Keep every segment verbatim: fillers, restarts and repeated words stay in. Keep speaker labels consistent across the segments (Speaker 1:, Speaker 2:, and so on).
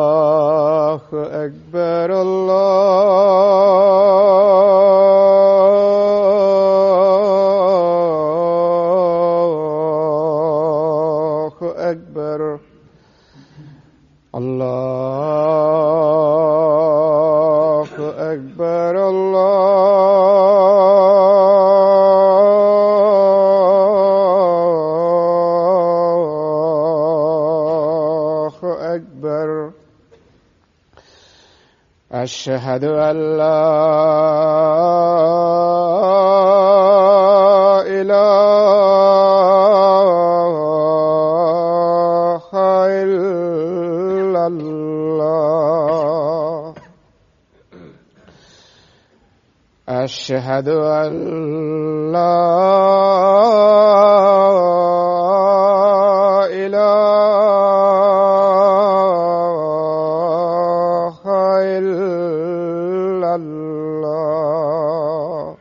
Speaker 1: الله أكبر الله أكبر الله أكبر الله أكبر أشهد أن لا إله إلا الله أشهد أن لا إله إلا الله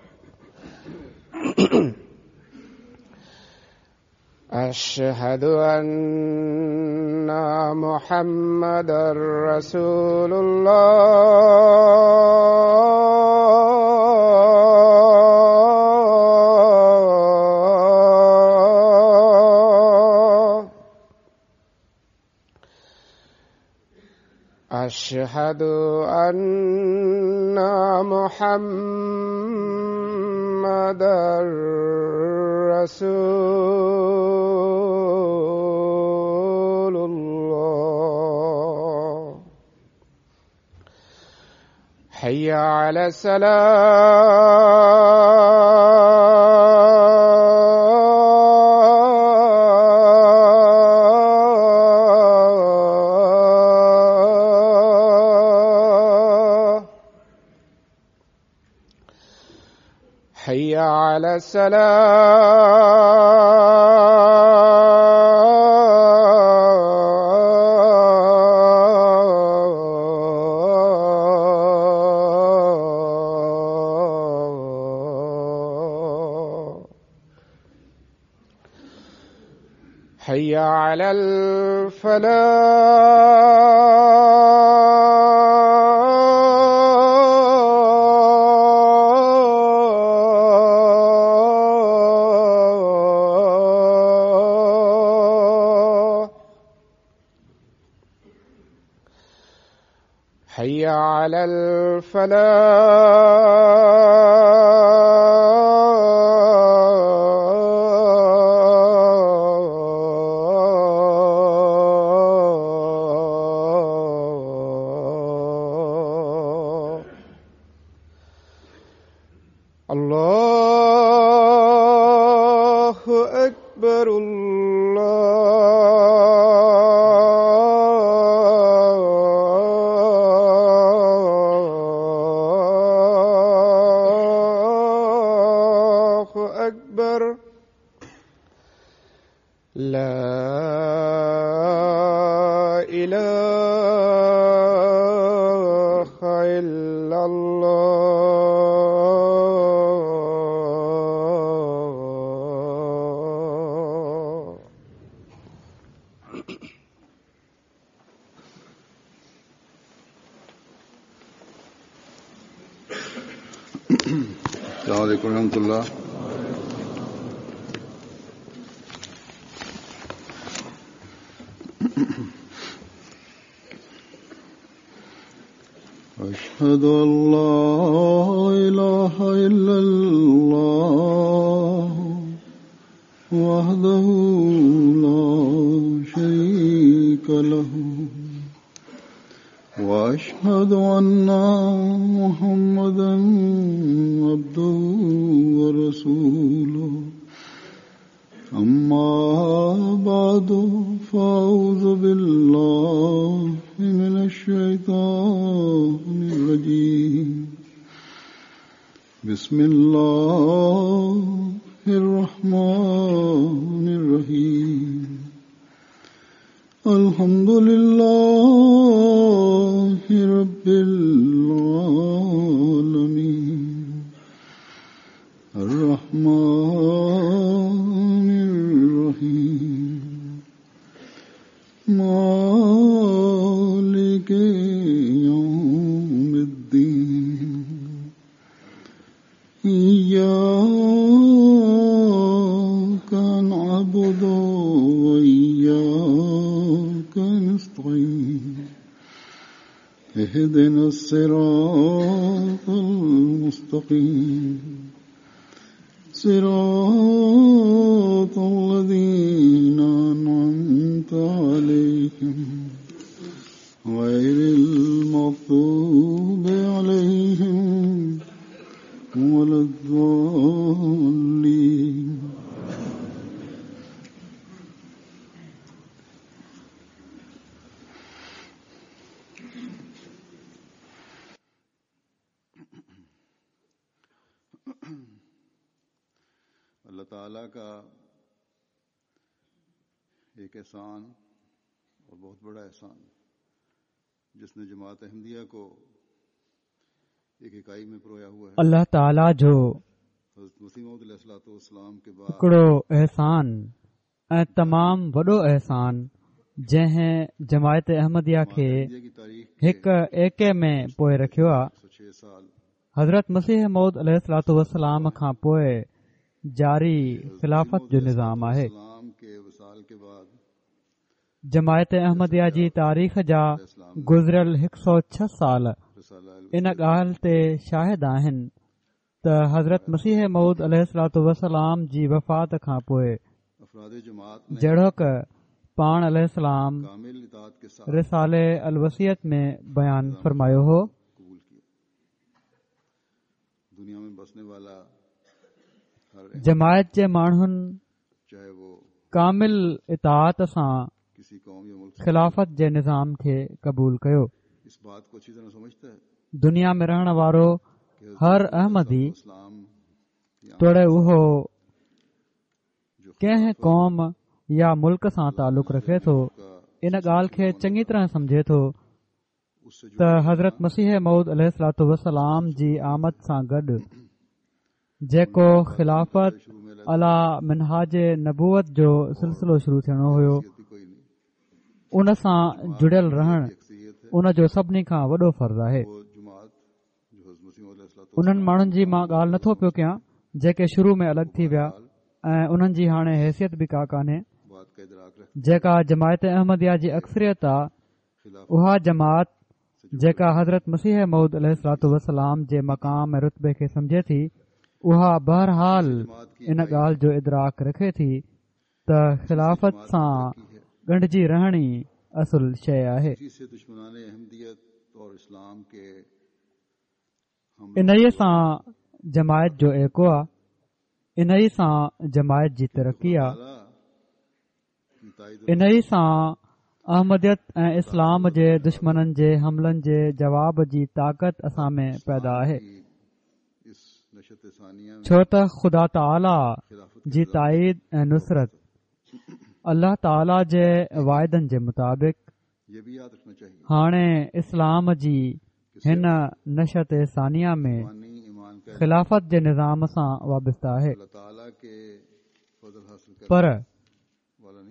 Speaker 1: أشهد أن محمدا رسول الله أشهد أن محمدا رسول الله حي على السلام حي على السلام حي على الفلاح حي على الفلاح الله أكبر الله أكبر لا إله إلا الله
Speaker 2: السلام عليكم ورحمة الله. أشهد أن لا إله إلا الله وحده لا شريك له وأشهد أن محمدا عبده ورسوله أما بعد فأعوذ بالله من الشيطان الرجيم بسم الله الرحمن الرحيم الحمد لله رب العالمين اهدنا الصراط المستقيم صراط الذين أنعمت عليهم غير المغضوب عليهم ولا الضالين. اللہ تعالیٰ کا ایک احسان اور بہت بڑا احسان جس نے جماعت احمدیہ کو ایک اکائی میں پرویا ہوا ہے.
Speaker 3: اللہ تعالیٰ جو
Speaker 2: حضرت مسیح موعود علیہ الصلوۃ والسلام کے بعد
Speaker 3: هڪڙو احسان ۽ تمام وڏو احسان جنهن جماعت احمديه کي هڪ ايڪي ۾ پوئي رکيو آهي، حضرت مسيح موعود عليه الصلوۃ والسلام کان پوءِ جاري خلافت جو نظام آهي. جماعت احمديه جي تاريخ جا گذريل هڪ سؤ ڇهه سال ان ڳالهه تي شاهد آهن ته حضرت مسيح موعود عليه الصلوۃ والسلام جي وفات کان پوءِ جهڙوڪ پاڻ عليه السلام رسالي الوصيت ۾ بيان فرمايو هو، جماعت جي ماڻهن ڪامل اطاعت سان خلافت جي نظام کي قبول ڪيو. دنيا ۾ رهڻ وارو هر احمدي توڙي اهو ڪنهن قوم يا ملڪ سان تعلق رکي ٿو، ان ڳالهه کي چڱي طرح سمجهي ٿو ته حضرت مسيح موعود عليه الصلوۃ والسلام جي آمد سان گڏ جيڪو خلافت عليٰ منهاج نبوت جو سلسلو شروع ٿيڻو هيو، ان سان جڙيل رهڻ ان جو سڀني کان وڏو فرض آهي. انهن ماڻهن جي مان ڳالهه نٿو پيو ڪيان جيڪي شروع ۾ الڳ ٿي ويا ۽ انهن جي هاڻي حيثيت به ڪا ڪانهي. جيڪا جماعت احمديه جي اڪثريت آ، اها جماعت جيڪا حضرت مسيح موعود عليه الصلوۃ والسلام جي مقام ۽ رتبي کي سمجهي ٿي، اها بهرحال ان ڳالهه جو ادراڪ رکي ٿي ته خلافت سان ڳنڍجي رهڻ ئي اصل شيءِ آهي. انهيءَ سان جماعت جو ايڪو آ، انهيءَ سان جماعت جي ترقي آ، انهيءَ سان احمديت ۽ اسلام جي دشمنن جي حملن جي جواب جي طاقت اسان ۾ پيدا آهي، ڇو ته خدا تعاليٰ جي تائيد ۽ نصرت الله تعاليٰ جي واعدن جي مطابق هاڻي اسلام جي هن نشأت ثانيه ۾ خلافت جي نظام سان وابسته آهي. پر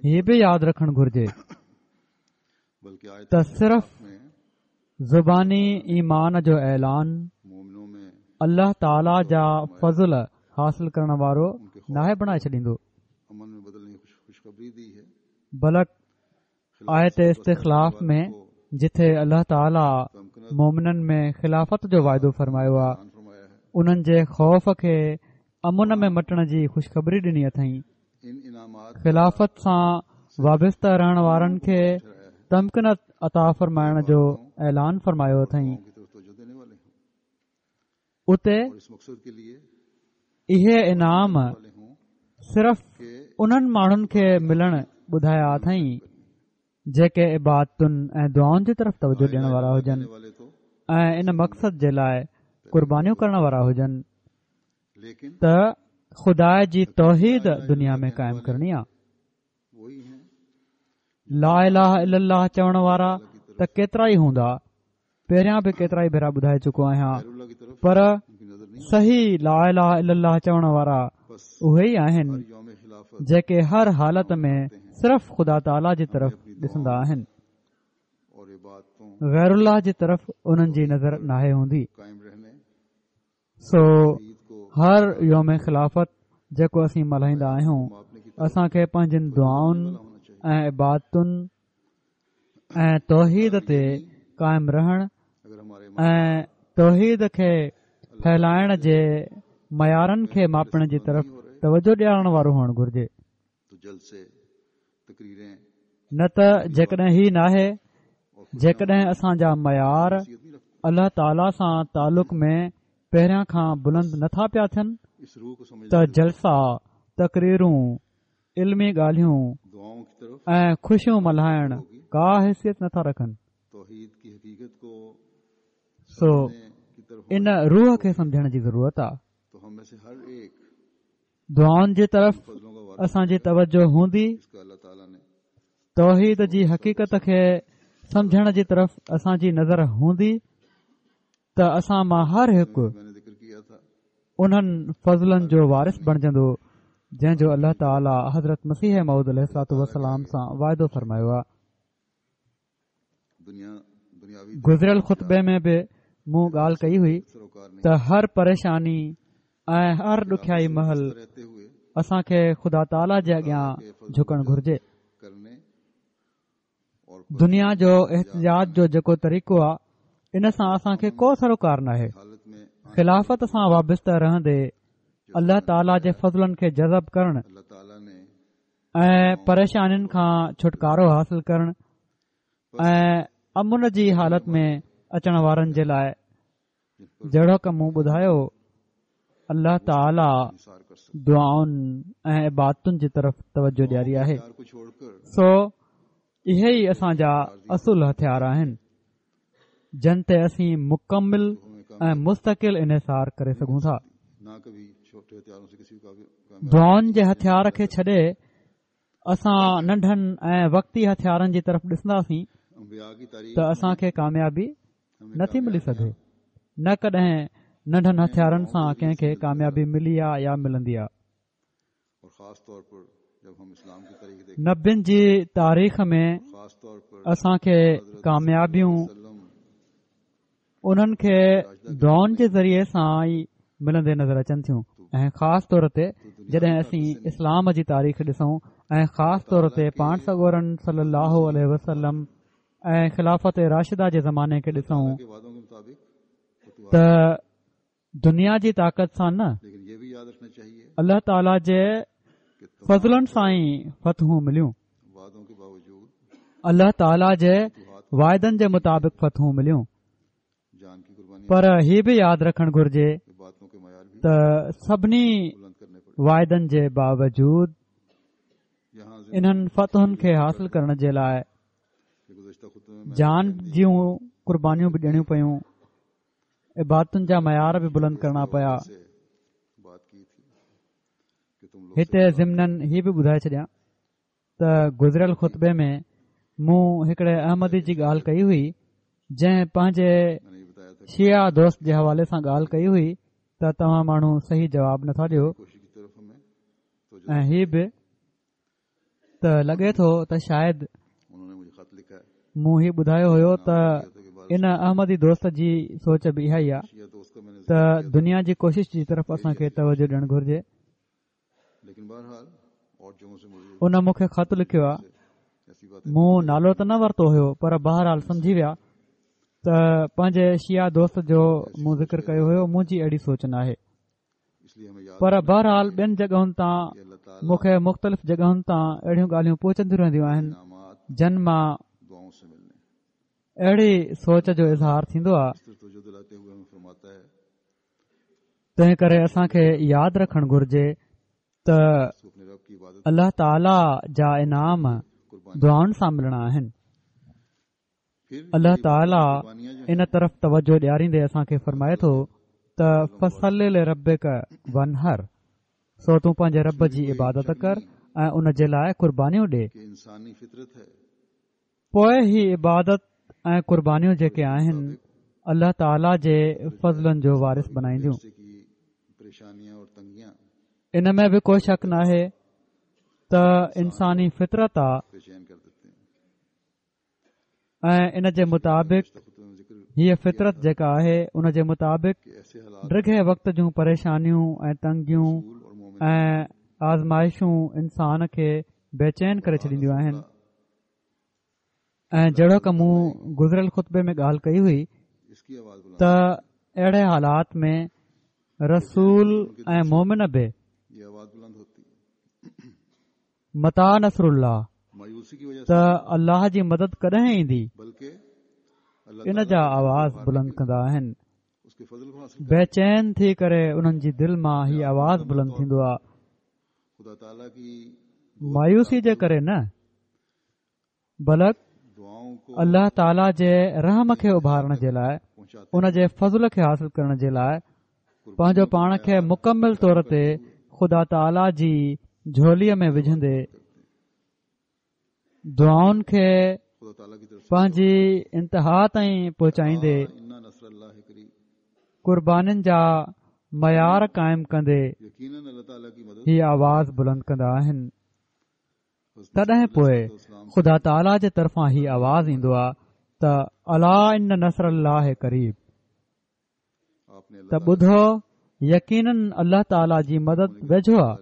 Speaker 3: هي به ياد رکڻ گهرجي ته صرف زباني ايمان جو اعلان الله تعاليٰ جا فضل حاصل ڪرڻ وارو ناهي بڻائي ڇڏيندو، بلڪ آيت استخلاف ۾ جٿي الله تعاليٰ مومنن ۾ خلافت جو واعدو فرمايو آهي، انهن جي خوف کي امن ۾ مٽڻ جي خوشخبري ڏني اٿئين. خلافت سان وابسته رهڻ وارن کي تمڪنت عطا فرمائڻ جو اعلان فرمايو اٿئين. اتي اهي انعام صرف انهن ماڻهن کي ملڻ ٻڌايا اٿئين جيڪي عبادتن ۽ دعائن جي طرف توجه ڏيڻ وارا هجن ۽ ان مقصد جي لاءِ قربانيون ڪرڻ وارا هجن ته خدا جي توحيد دنيا ۾ قائم ڪرڻي آهي. لا اله الا الله چوڻ وارا ته ڪيترا ئي هوندا، پهريان به ڪيترا ئي ڀيرا ٻڌائي چڪو آهيان، پر صحيح لا اله الا الله چوڻ وارا اهي ئي آهن جيڪي هر حالت ۾ صرف خدا تعاليٰ جي طرف ڏسندا آهن، غير الله جي طرف انهن جي نظر ناهي هوندي. سو هر يوم خلافت جيڪو اسين ملهائيندا آهيون، اسان کي پنهنجن دعائن ۽ عبادتن ۽ توحيد تي قائم رهڻ ۽ توحيد کي ڦهلائڻ جي معيارن کي ماپڻ جي طرف توجه ڏيارڻ وارو هئڻ گهرجي. نه ته جيڪڏهن هي ناهي، جيڪڏهن اسان جا معيار الله تعاليٰ سان تعلق ۾ پهريان کان بلند نٿا پيا ٿين ته جلسا، تقريرون، علمي ڳالهيون ۽ خوشيون ملهائڻ ڪا حيثيت نٿا رکن. سو ان روح کي سمجهڻ جي ضرورت آهي. دعائن جي طرف اسان جي توجه هوندي، توحيد جي حقيقت کي سمجهڻ جي طرف اسان جي نظر هوندي ته اسان مان هر هڪ انهن فضلن جو وارث بڻجندو جنهن جو الله تعاليٰ حضرت مسيح موعود عليه الصلوة والسلام سان واعدو فرمايو آهي. گذريل خطبي ۾ به مون ڳالهه ڪئي هئي ته هر پريشاني ۽ هر ڏکيائي مهل اسان کي خدا تعاليٰ جي اڳيان جهڪڻ گهرجي. دنيا جو احتجاج جو جيڪو طريقو آهي ان سان اسان کي ڪو سروڪار ناهي. خلافت سان وابسته رهندي الله تعاليٰ جي فضلن کي جذب ڪرڻ ۽ پريشانين کان ڇوٽڪارو حاصل ڪرڻ ۽ امن جي حالت ۾ اچڻ وارن جي لاءِ جهڙوڪ مون ٻڌايو الله تعاليٰ دعائن ۽ عبادتن جي طرف توجه ڏياري آهي. سو اهي ئي اسان جا اصل هٿيار آهن جن تي اسين مڪمل ۽ مستقل انحصار ڪري سگهون ٿا. دعائن جي هٿيار کي ڇڏي اسان ننڍن ۽ وقتي هٿيارن جي طرف ڏسنداسين ته اسان کي ڪاميابي نٿي ملي سگهي. نه ڪڏهن ننڍن هٿيارن سان ڪنهن کي ڪاميابي ملي آ يا ملندي آ. نبين جي تاريخ ۾ اسان کي ڪاميابيون انهن کي دعائن جي ذريعي سان ئي ملندي نظر اچن ٿيون ۽ خاص طور تي جڏهن اسين اسلام جي تاريخ ڏسون ۽ خاص طور تي پاڻ سڳورن صلي الله عليه وسلم ۽ خلافت راشده جي زماني کي ڏسون ته دنيا جي طاقت سان نه، الله تعاليٰ جي فضلن سان ئي فتحون مليون، الله تعاليٰ جي واعدن جي مطابق فتحون مليون. پر هي به ياد رکڻ گهرجي ته سڀني واعدن جي باوجود انهن فتحن کي حاصل ڪرڻ جي لاءِ جان جون قربانيون به ڏيڻيون پيون، عبادتن جا معيار به بلند ڪرڻا پيا. هتي ضمناً هي به ٻڌائي ڇڏيان ته گذريل خطبي ۾ مون هڪڙي احمدي جي ڳالهه ڪئي هئي جنهن پنهنجي شيعه دوست جي حوالي سان ڳالهه ڪئي هئي ته توهان ماڻهو صحيح جواب نٿا ڏيو ۽ هي به ته لڳي ٿو ته شايد مون هي ٻڌايو هيو ته ان احمدي دوست جي سوچ به اها ئي آهي ته دنيا جي ڪوشش جي طرف اسان کي توجه ڏيڻ گهرجي. ان مون کي خط لکيو آهي، مون نالو ته نه ورتو هيو پر بهرحال سمجهي ويا ته پنهنجي شيعه دوست جو مون ذڪر ڪيو هيو. منهنجي اهڙي سوچ ناهي، پر بهرحال ٻين جڳهن تان مون کي مختلف جڳهن تان اهڙيون ڳالهيون پهچنديون رهنديون آهن جن مان اهڙي سوچ جو اظهار ٿيندو آهي. تنهن ڪري اسان کي ياد رکڻ گهرجي ته الله تعاليٰ جا انعام دعائن سان ملڻا آهن. الله تعاليٰ ان طرف توجه ڏياريندي اسان کي فرمائي ٿو ته فصل لربڪ وانحر، سو تون پنهنجي رب جي عبادت ڪر ۽ ان جي لاءِ قربانيون ڏي. پوءِ هي عبادت ۽ قربانيون جيڪي آهن الله تعاليٰ جي فضلن جو وارث بنائينديون. ان ۾ به ڪو شڪ ناهي ته انساني فطرت آ ۽ ان جي مطابق هيءَ فطرت جيڪا آهي ان جي مطابق ڊگهي وقت جون پريشانيون ۽ تنگيون ۽ آزمائشون انسان کي بيچين ڪري ڇڏينديون آهن. ۽ جهڙوڪ مون گذريل خطبي ۾ ڳالهه ڪئي هئي ته اهڙي حالات ۾ رسول ۽ مومن به متيٰ نصر الله ته الله جي مدد ڪڏهن ايندي، ان جا آواز بلند ڪندا آهن. بيچين ٿي ڪري انهن جي دل مان هي آواز بلند ٿيندو آهي، مايوسي جي ڪري نه بلڪ الله تعاليٰ جي رحم کي اڀارڻ جي لاءِ، ان جي فضل کي حاصل ڪرڻ جي لاءِ پنهنجو پاڻ کي مڪمل طور تي خدا تعاليٰ جي جهوليءَ ۾ وجهندي دعائن کي پنهنجي انتها تائين پهچائيندي قربانين جا معيار قائم ڪندي هي آواز بلند ڪندا آهن. تڏهن پوءِ خدا تعاليٰ جي طرفان هي آواز ايندو آهي ته الا ان نصر الله قريب، ته ٻڌو يقينن الله تعاليٰ جي مدد ويجهو آهي.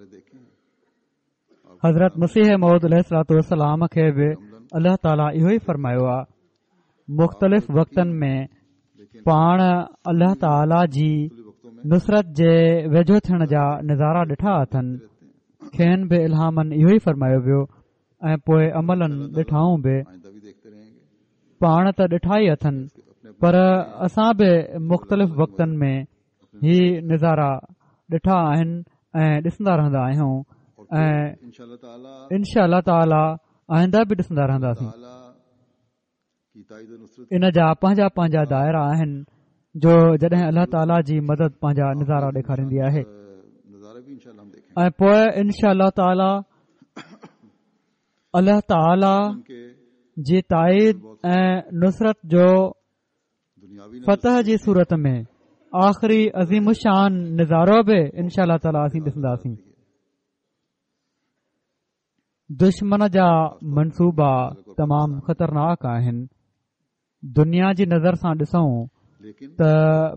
Speaker 3: حضرت مسيح موعود عليه الصلوة والسلام کي به الله تعاليٰ اهو ئي فرمايو آهي. مختلف وقتن ۾ پاڻ الله تعاليٰ جي نصرت جي ويجهو ٿيڻ جا نظارا ڏٺا اٿن، کين به الهامن اهو ئي فرمايو ويو ۽ پوءِ عملن ڏٺائون به. پاڻ ته ڏٺا ئي اٿن، پر اسان به مختلف وقتن ۾ هي نظارا ڏٺا آهن ۽ ڏسندا رهندا آهيون ۽ انشاء الله تعاليٰ آئنده به ڏسندا رهنداسين. ان جا پنهنجا پنهنجا دائرا آهن جو جڏهن الله تعاليٰ جي مدد پنهنجا نظارا ڏيکاريندي آهي ۽ پوءِ انشاء الله تعاليٰ الله تعاليٰ جي تائيد ۽ نصرت جو فتح جي صورت ۾ آخري عظيم الشان نظارو به انشاء الله تعاليٰ اسين ڏسنداسين. دشمن جا منصوبا تمام خطرناڪ آهن. دنيا جي نظر سان ڏسون ته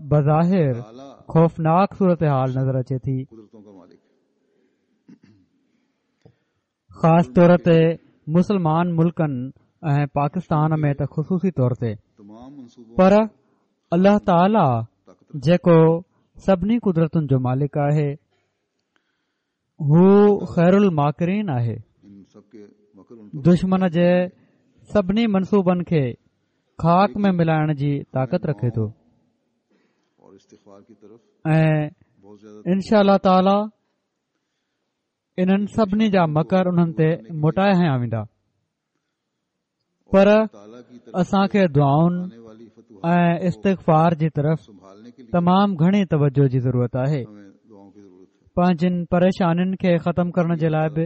Speaker 3: بظاهر خوفناڪ صورتحال نظر اچي ٿي، خاص طور تي مسلمان ملڪن ۽ پاڪستان ۾ ته خصوصي طور تي، پر الله تعاليٰ جيڪو سڀني قدرتن جو مالڪ آهي، هو خير الماڪرين آهي. دشمن جي سڀني منصوبن کي خاڪ ۾ ملائڻ جي طاقت رکي ٿو ۽ انشاء الله تعاليٰ انهن سڀني جا مڪر انهن تي موٽائي هنيا ويندا. پر اسان کي دعائن ۽ استغفار جي طرف تمام گهڻي توجه جي ضرورت آهي. پنهنجن پريشانين کي ختم ڪرڻ جي لاءِ به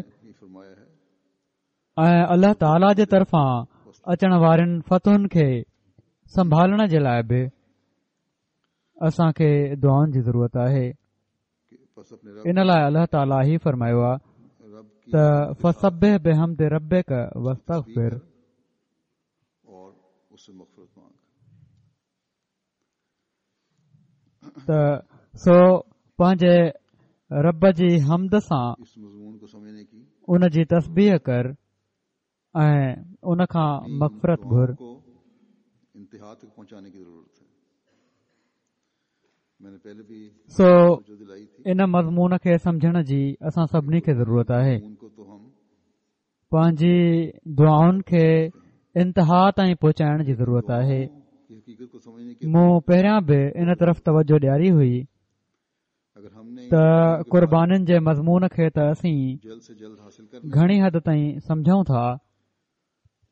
Speaker 3: ۽ الله تعاليٰ جي طرفان اچڻ وارين فتحن کي سنڀالڻ جي لاءِ به اسان کي دعائن جي ضرورت آهي. ان لاءِ الله تعاليٰ هي فرمايو آهي ته فسبح بحمد ربک واستغفر. ته سو پنهنجي رب جي حمد سان ان جي تسبيح ڪر ۽ ان کان مغفرت گهر. سو ان مضمون کي سمجهڻ جي اسان سڀني کي ضرورت آهي. پنهنجي دعائن کي انتها تائين پهچائڻ جي ضرورت آهي. مون پهريان به ان طرف توجه ڏياري هئي ته قربانين جي مضمون کي ته اسين گهڻي حد تائين سمجهون ٿا،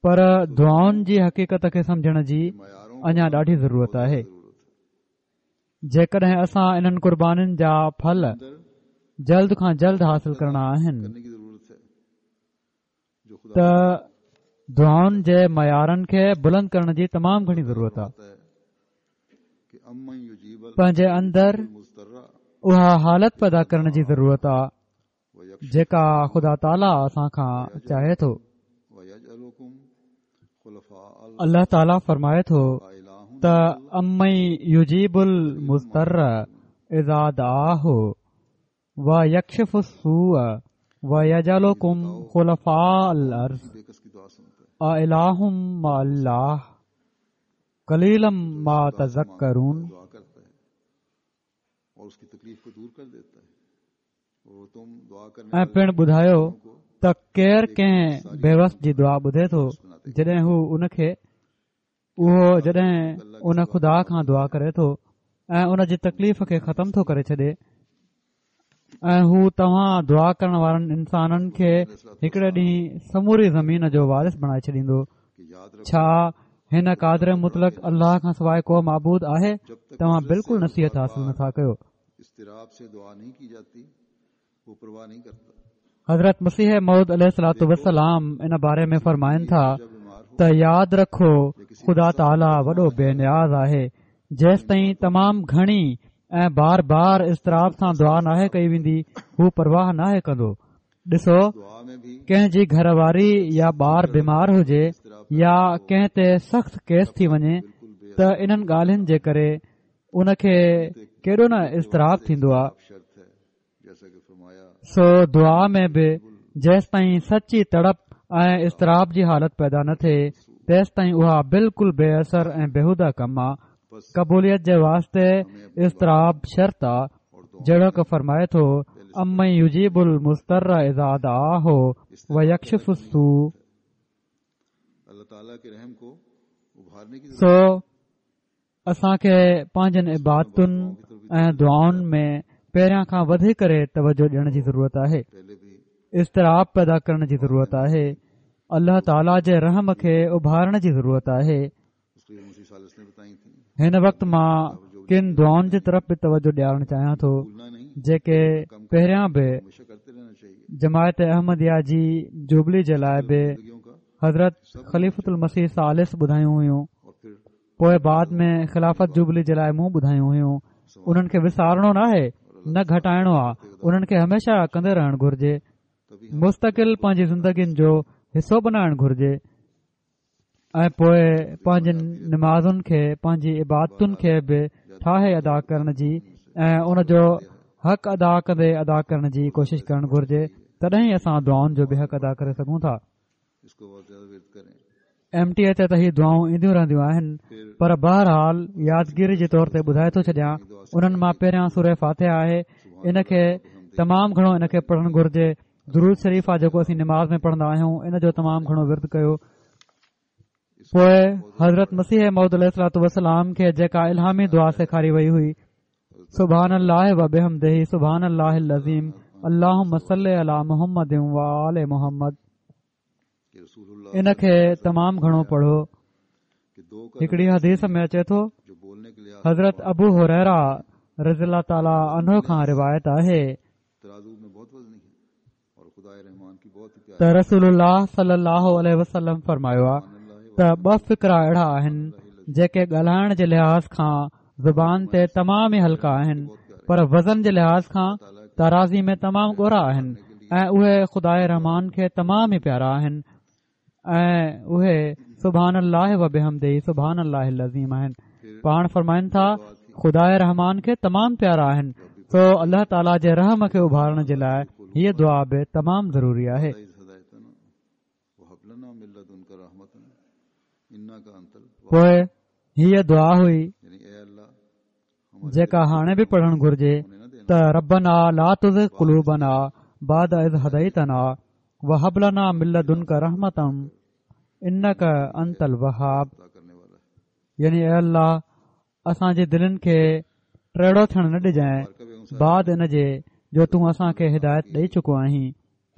Speaker 3: پر دعائن جي حقيقت کي سمجهڻ جي اڃا ڏاڍي ضرورت آهي. جيڪڏهن اسان انهن قربانين جا ڦل جلد کان جلد حاصل ڪرڻا آهن ته دعائن جي معيارن کي بلند ڪرڻ جي تمام گهڻي ضرورت آهي. پنهنجي اندر اها حالت پيدا ڪرڻ جي ضرورت آهي جيڪا خدا تعاليٰ اسان کان چاهي ٿو. الله تعاليٰ فرمائي ٿو ته امن يجيب المضطر اذا دعاه ويڪشف السوء ويجعلڪم خلفاء الارض اله مع الله قليلا ما تذڪرون. ۽ پڻ ٻڌايو ته ڪير ڪنهن بيوس جي دعا ٻڌي ٿو جڏهن هو ان کي اهو جڏهن ان خدا کان دعا ڪري ٿو ۽ ان جي تڪليف کي ختم ٿو ڪري ڇڏي، ۽ هو توهان دعا ڪرڻ وارن انسانن کي هڪڙي ڏينهن سموري زمين جو وارث بڻائي ڇڏيندو. ڇا هن قادر مطلق الله کان سواءِ ڪو معبود آهي؟ توهان بلڪل نصيحت حاصل نٿا ڪيو. حضرت مسيح موعود عليه الصلوة والسلام ان باري ۾ فرمائن ٿا ته ياد رکو خدا تعاليٰ وڏو بي نياز آهي، جيستائين تمام گهڻي ۽ بار بار اضطراب سان دعا ناهي ڪئي ويندي هو پرواهه ناهي ڪندو. ڏسو ڪنهن جي گهر واري يا ٻار بيمار هجي يا ڪنهن تي سخت ڪيس ٿي وڃي ته انهن ڳالهين جي ڪري ان کي ڪيڏو نه اضطراب ٿيندو آهي. سو دعا ۾ به جيستائين سچي تڙپ ۽ اضطراب جي حالت پيدا نه ٿئي تيستائين اها بلڪل بي اثر ۽ بيهوده ڪم آهي. قبوليت جي واسطي اضطراب شرط آ، جهڙوڪ فرمائي ٿو امن يجيب المضطر اذا دعاه ويڪشف السوء. سو اسان کي پنهنجن عبادتن ۽ دعائن ۾ پهريان کان وڌي ڪري توجه ڏيڻ جي ضرورت آهي، اضطراب پيدا ڪرڻ جي ضرورت آهي، الله تعاليٰ جي رحم کي اڀارڻ جي ضرورت آهي. هن وقت مان ڪن دعائن جي طرف به توجه ڏيارڻ چاهيان ٿو جيڪي پهريان به جماعت احمديه جي جوبلي جي لاءِ به حضرت خليفة المسيح ثالث ٻڌايون هيون، پوءِ بعد ۾ خلافت جوبلي جي لاءِ مون ٻڌايون هيون. انهن کي وسارڻو ناهي، نه گهٽائڻو آهي، انهن کي هميشه ڪندي رهڻ گهرجي، مستقل پنهنجي زندگين جو حصو بنائڻ گهرجي ۽ پوءِ پنهنجن نمازن کي پنهنجي عبادتن کي به ٺاهي ادا ڪرڻ جي ۽ ان جو حق ادا ڪندي ادا ڪرڻ جي ڪوشش ڪرڻ گهرجي، تڏهن ئي اسان دعائن جو به حق ادا ڪري سگهون ٿا. ايم ٽي اي تي ته هي دعائون اينديون رهنديون آهن، پر بهرحال يادگيري جي طور تي ٻڌائي ٿو ڇڏيان. انهن مان پهريان سوره فاتحه آهي، ان کي تمام گهڻو ان کي پڙهڻ گهرجي. درود شريف آهي جيڪو اسين نماز ۾ پڙهندا آهيون، ان جو تمام گهڻو ورد ڪيو. پوءِ حضرت مسيح موعود عليه الصلوة والسلام کي جيڪا الهامي دعا سيکاري وئي هئي، سبحان الله وبحمده سبحان الله العظيم اللهم صل على محمد وآل محمد، ان کي تمام گهڻو پڙهو. هڪڙي حديث ۾ اچي ٿو حضرت ابو هريره رضي الله تعاليٰ عنه کان روايت آهي ته رسول الله صلي الله عليه وسلم فرمايو آهي ته ٻه فقرا اهڙا آهن جيڪي ڳالهائڻ جي لحاظ کان زبان تي تمام ئي هلڪا آهن، پر وزن جي لحاظ کان ترازي ۾ تمام ڳورا آهن، ۽ اهي خداءِ رحمان کي تمام ئي پيارا آهن، ۽ اهي سبحان الله وبحمده سبحان الله العظيم آهن. پاڻ فرمائن ٿا خداءِ رحمان کي تمام پيارا آهن، سو الله تعاليٰ جي رحم کي اڀارڻ جي لاءِ هيءَ دعا به تمام ضروري آهي. پوءِ هيءَ دعا هئي جيڪا هاڻي به پڙهڻ گهرجي ته ربنا لا تزغ قلوبنا بعد إذ هديتنا وهب لنا من لدنك رحمة إنك أنت الوهاب. يعني اي الله اسان جي دلن کي ٽيڙو ٿيڻ نه ڏجانءِ بعد ان جي جو تون اسان کي هدايت ڏئي چڪو آهين،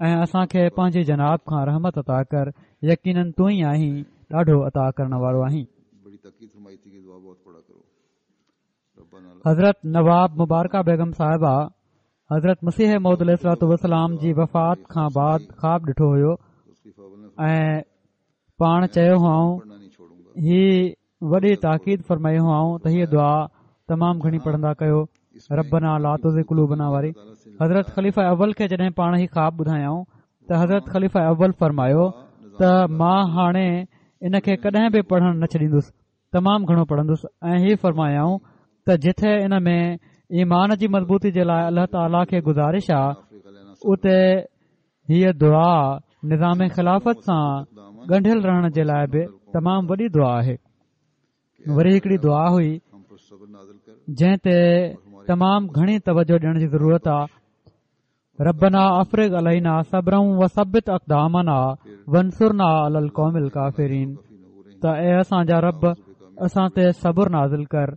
Speaker 3: ۽ اسان کي پنهنجي جناب کان رحمت عطا ڪر، يقيناً تون ئي آهين ڏاڍو عطا ڪرڻ وارو آهين. حضرت نواب مبارڪه بيگم صاحبه حضرت مسيح موعود عليه الصلوة والسلام جي وفات کان بعد خواب ڏٺو هيو ۽ پاڻ چيو هئائون، هي وڏي تاڪيد فرمائي هئائون ته هيءَ دعا تمام گهڻي پڙهندا ڪيو، ربنا لا تزغ قلوبنا واري. حضرت خليفه اول کي جڏهن پاڻ هي خواب ٻڌايائون ته حضرت خليفه اول فرمايو ته مان هاڻي ان کي ڪڏهن به پڙهڻ نه ڇڏيندس، تمام گهڻو پڙهندس. ۽ هي فرمايائون ته جٿي ان ۾ ايمان جي مضبوطي جي لاءِ الله تعاليٰ کي گذارش آ، اتي هيءَ دعا نظام خلافت سان ڳنڍيل رهڻ جي لاءِ به تمام وڏي دعا آهي. وري هڪڙي دعا هئي جنهن تي تمام گهڻي توجه ڏيڻ جي ضرورت آهي. ربنا افرغ علينا صبرا وثبت اقدامنا وانصرنا على القوم الڪافرين. ته اي اسان جا رب، اسان تي صبر نازل ڪر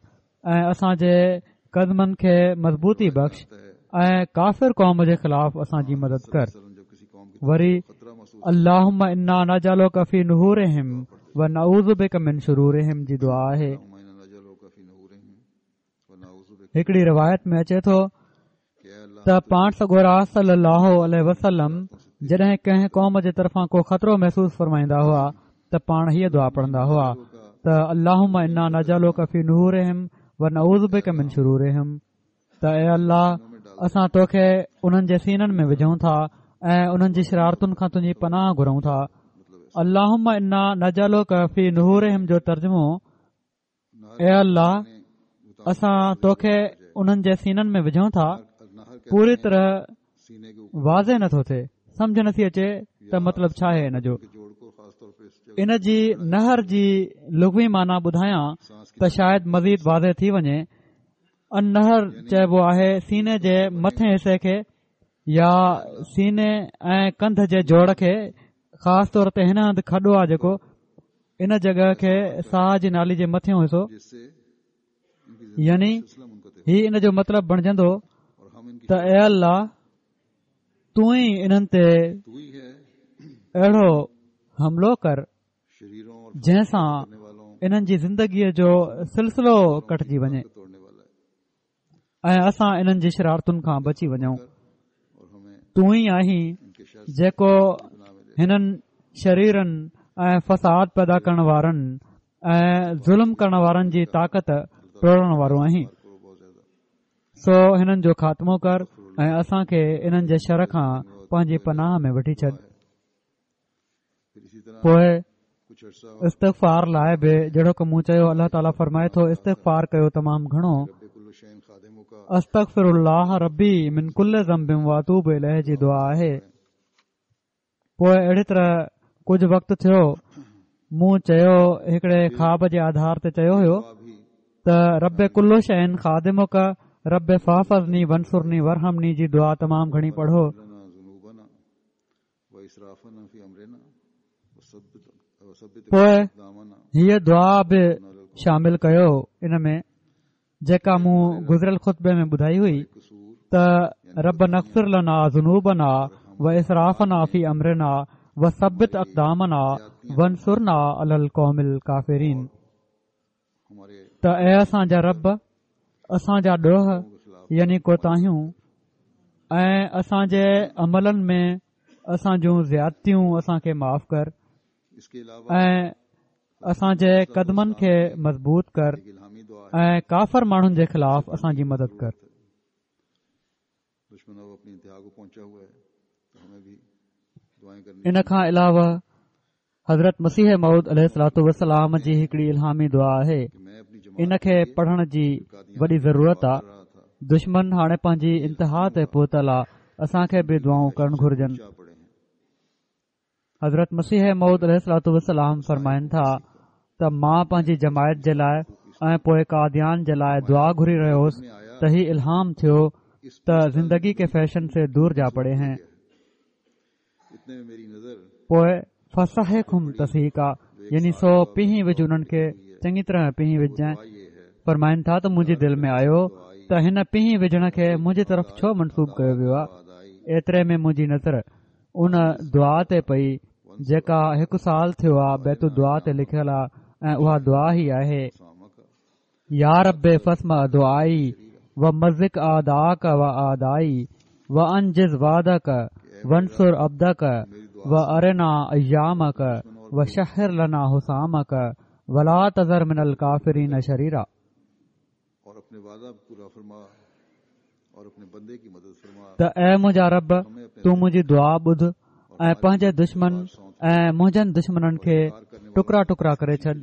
Speaker 3: ۽ اسان جي قدمن کي مضبوطي بخش ۽ ڪافر قوم جي خلاف اسان جي مدد ڪر. وري اللهم انا نجعلک في نحورهم ونعوذ بک من شرورهم جي دعا آهي. هڪڙي روايت ۾ اچي ٿو ته پاڻ سڳورا صلي الله عليه وسلم جڏهن ڪنهن قوم جي طرفان ڪو خطرو محسوس فرمائيندا هئا ته پاڻ هيء دعا پڙهندا هئا ته اللهم انا نجعلک في نحورهم ونعوذ بک من شرورهم. ته اي الله، اسان توکي انهن جي سينن ۾ وجهون ٿا ۽ انهن جي شرارتن کان تنهنجي پناهه گهرون ٿا. اللهم انا نجعلک في نحورهم جو ترجمو، اي الله اسان توکي انهن جي سينن ۾ وجهون ٿا، پوري طرح واضح نٿو ٿئي، سمجهه نٿي اچي ته مطلب ڇا آهي ان جو. ان جي نحر جي لغوي معنيٰ ٻڌايان ته شايد مزيد واضح ٿي وڃي. النحر چئبو آهي سيني جي مٿين حصي کي يا سيني ۽ ڪنڌ جي جوڙ کي، خاص طور تي هن هنڌ کڏو آهي جيڪو ان جڳهه کي ساهه جي نالي جي مٿيون حصو، يعني هي ان جو مطلب بڻجندو ته اي الله تون ئي انهن تي اهڙو حملو ڪر جنهن سان انهن جي زندگيء جو سلسلو ڪٽجي وڃي ۽ اسان انهن جي شرارتن کان بچي وڃون. تون ئي آهين جيڪو هنن شريرن ۽ فساد پيدا ڪرڻ وارن ۽ ظلم ڪرڻ وارن جي طاقت ٽوڙڻ وارو آهين، سو هنن جو خاتمو ڪر ۽ اسان کي انهن جي شر کان پنهنجي پناهه ۾ وٺي ڇڏ. پوءِ استغفار لاءِ به جهڙوڪ مون چيو، الله تعاليٰ فرمائي ٿو استغفار ڪيو تمام گهڻو. استغفر الله ربي من ڪل ذنب واتوب اليه جي دعا آهي. پوءِ اهڙي طرح ڪجهه وقت ٿيو، مون چيو هڪڙي خواب جي آڌار تي چيو هيو ته رب ڪل شيء خادمک رب فاحفظني وانصرني وارحمني جي دعا تمام گهڻي پڙهو. پوءِ هيءَ دعا به شامل ڪيو ان ۾ جيڪا مون گذريل خطبي ۾ ٻڌائي هئي ته رب نغفر لنا ذنوبنا واسرافنا في امرنا وثبت اقدامنا وانصرنا على القوم الڪافرين. ته اي اسان جا رب، اسان جا ڏوهه يعني ڪوتاهيون ۽ اسان جي عملن ۾ اسان جون زيادتيون اسان کي معاف ڪر ۽ اسان جي قدمن کي مضبوط ڪر ۽ ڪافر ماڻهن جي خلاف اسان جي مدد ڪر. ان کان علاوه حضرت مسيح موعود عليه الصلوة والسلام جي هڪڙي الهامي دعا آهي، ان کي پڙهڻ جي وڏي ضرورت آهي. دشمن هاڻي پنهنجي انتها تي پهتل آهي، اسان کي به دعائون ڪرڻ گهرجن. حضرت مسيح موعود عليه الصلوة والسلام فرمائن ٿا ته مان پنهنجي جماعت جي لاءِ ۽ پوءِ قاديان جي لاءِ دعا گهري رهيو هوس ته هي الهام ٿيو ته زندگي ڪي فيشن سي دور جا پڙي هين. پوءِ فسحقهم تسحيقا، يعني سو پيهي وجهه انهن کي، چڱي طرح پيهي وجهجانءِ. فرمائن ٿا ته منهنجي دل ۾ آيو ته هن پيهي وجهڻ کي منهنجي طرف ڇو منسوب ڪيو ويو آهي. ايتري ۾ منهنجي نظر ان دعا تي پئي جيڪا هڪ سال ٿيو آهي بيت الدعا تي لکيل آهي، ۽ اها دعا هي آهي: يا رب فاسمع دعائي ومزق اعداءک واعدائي وانجز وعدک وانصر عبدک وارنا ايامک وشهر لنا حسامک ولا تذر من الڪافرين شريرا. ته اي منهنجا رب، تون منهنجي دعا ٻڌ ۽ پنهنجي دشمن ۽ منهنجن دشمنن کي ٽڪرا ٽڪرا ڪري ڇڏ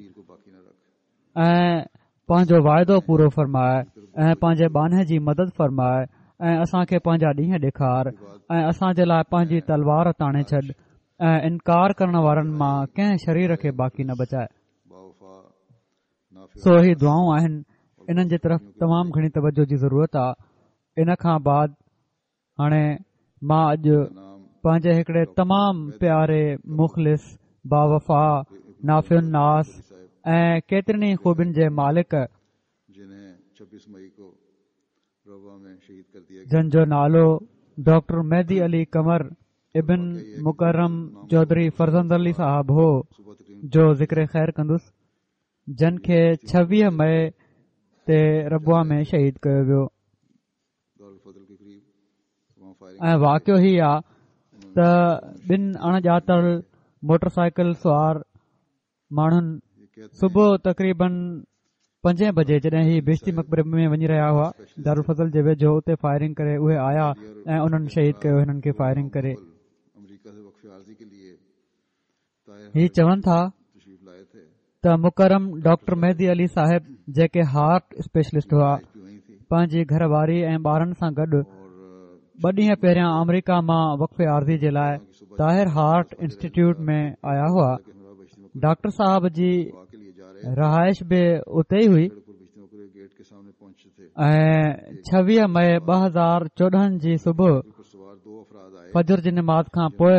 Speaker 3: ۽ پنهنجو واعدو پورو فرماءِ ۽ پنهنجي ٻانهي جي مدد فرماءِ ۽ اسان کي پنهنجا ڏينهن ڏيکار ۽ اسان جي لاءِ پنهنجي تلوار تاڻي ڇڏ ۽ انڪار ڪرڻ وارن مان ڪنهن شرير کي باقي نه بچائي. سو هي دعائون آهن، انهن جي طرف تمام گهڻي توجه جي ضرورت آهي. ان کان بعد هاڻي مان اڄ پنهنجي هڪڙي تمام پياري، مخلص، باوفا، نافع الناس ۽ ڪيترين ئي خوبين جي مالڪ، جن جو نالو ڊاڪٽر مهدي علي قمر ابن مڪرم چوڌري فرزند علي صاحب هو، جو ذڪر خير ڪندس، جن کي ڇويهه مئي تي ربوه ۾ شهيد ڪيو ويو. ۽ واقعو هي آ ته ٻن اڻ ڄاتل موٽر سائيڪل سوار ماڻهن صبح تقريبن پنجين بجي جڏهن هي بهشتي مقبري ۾ وڃي رهيا هئا دارالفضل جي ويجهو، اتي فائرنگ ڪري اهي آيا ۽ انهن شهيد ڪيو هنن کي فائرنگ ڪري. هي چون ٿا ته مڪرم ڊاڪٽر مهدي علي صاحب، جيڪي هارٽ اسپيشلسٽ هئا، پنهنجي گهر واري ۽ ٻارن سان گڏ ٻه ڏينهن پهريان آمريڪا مان وقف عارضي جي لاءِ طاهر هارٽ انسٽيٽيوٽ ۾ آيا هئا. ڊاڪٽر صاحب جي رهائش به اتي ئي هئي ۽ ڇويهه مئي ٻه هزار چوڏهن جي صبح فجر جي نماز کان پوءِ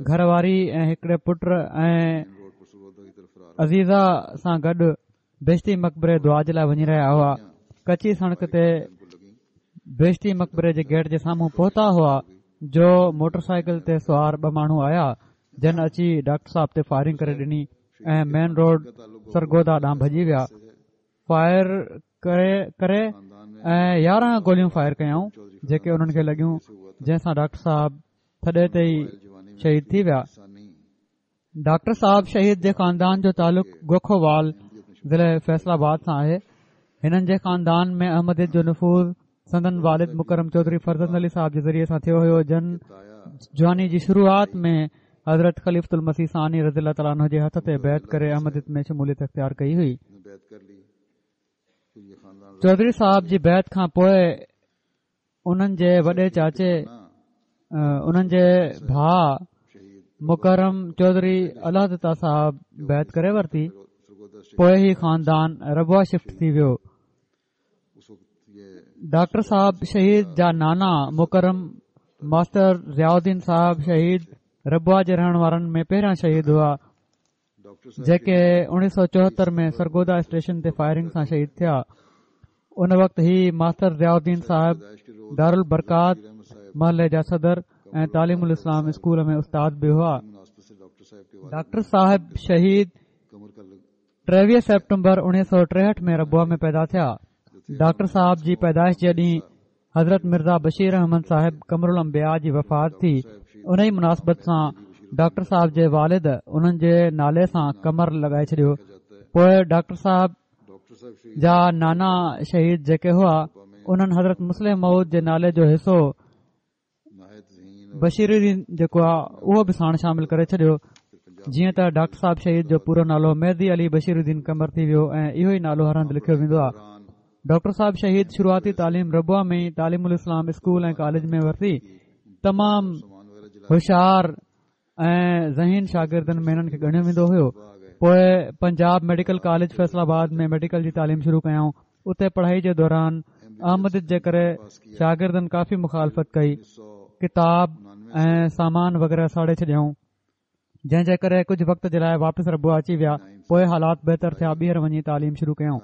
Speaker 3: گهر واري ۽ هڪڙي پٽ ۽ عزيزه سان گڏ بهشتي مقبري دعا جي لاءِ وڃي رهيا هئا. ڪچي سڙڪ تي بهشتي مقبري جي گيٽ جي سامهون پهتا هئا جو موٽر سائيڪل تي سوار ٻه ماڻهو آيا، جن اچي ڊاڪٽر صاحب تي فائرنگ ڪري ڏني ۽ مين روڊ سرگوڌا ڏانهن ڀڄي ويا. فائر ڪري ڪري ۽ يارهن گوليون فائر ڪيائون، جيڪي انهن کي لڳيون، جنهن سان ڊاڪٽر صاحب ٿڏي تي ئي شهيد ٿي ويا. ڊاڪٽر صاحب شهيد جي خاندان جو تعلق گوکووال، ضلع فيصل آباد سان آهي. هنن جي خاندان ۾ احمديت جو نفوذ سندن والد مڪرم چوڌري فرزند علي صاحب جي ذريعي سان ٿيو هيو، جن جواني جي شروعات ۾ حضرت خليفة المسيح ثاني رضي الله تعاليٰ عنه جي هٿ تي بيعت ڪري احمديت ۾ شموليت اختيار ڪئي هئي. چوڌري صاحب جي بيعت کان پوءِ انهن جي وڏي چاچي، انهن جي ڀاءُ مڪرم چوڌري الله دتا صاحب بيعت ڪري ورتي. پوءِ هي خاندان ربوه شفٽ ٿي ويو. ڊاڪٽر صاحب شهيد جا نانا مڪرم ماستر ضياءُالدين صاحب شهيد ربوه جي رهڻ وارن ۾ پهريان شهيد هئا، جيڪي اڻويهه سؤ چوهتر ۾ سرگوڌا اسٽيشن تي فائرنگ سان شهيد ٿيا. ان وقت هي ماستر ضياءُالدين صاحب دارل برڪات محلي جا صدر ۽ تعليم الاسلام اسڪول ۾ استاد به هئا. ڊاڪٽر صاحب شهيد ٽيويهه سيپٽمبر اڻويهه سؤ ٽيهٺ ۾ ربوه ۾ پيدا ٿيا. ڊاڪٽر صاحب جي پيدائش جي ڏينهن حضرت مرزا بشير احمد صاحب قمر الانبياء جي وفات ٿي. ان ئي مناسبت سان ڊاڪٽر صاحب جي والد انهن جي نالي سان قمر لڳائي ڇڏيو. پوءِ ڊاڪٽر صاحب جا نانا شهيد جيڪي هئا، انهن حضرت مصلح موعود جي نالي جو حصو بشير الدين جيڪو آهي، اهو به ساڻ شامل ڪري ڇڏيو. جيئن ته ڊاڪٽر صاحب شهيد جو پورو نالو مهدي علي بشير الدين قمر ٿي ويو ۽ اهو ئي نالو هر هنڌ لکيو ويندو آهي. ڊاڪٽر صاحب شهيد شروعاتي تعليم ربوه ۾ تعليم الاسلام اسڪول ۽ ڪاليج ۾ ورتي. تمام هوشيار ۽ ذهين شاگردن ۾ انهن کي ڳڻيو ويندو هيو. پوءِ پنجاب ميڊيڪل ڪاليج فيصل آباد ۾ ميڊيڪل جي تعليم شروع ڪيائون. اتي پڙهائي جي دوران احمديت جي ڪري شاگردن ڪافي مخالفت ڪئي، ڪتاب ۽ سامان وغيره ساڙي ڇڏيائون، جنهن جي ڪري ڪجهه وقت جي لاءِ واپس ربوه اچي ويا. پوءِ حالات بهتر ٿيا، ٻيهر وڃي تعليم شروع ڪيائون،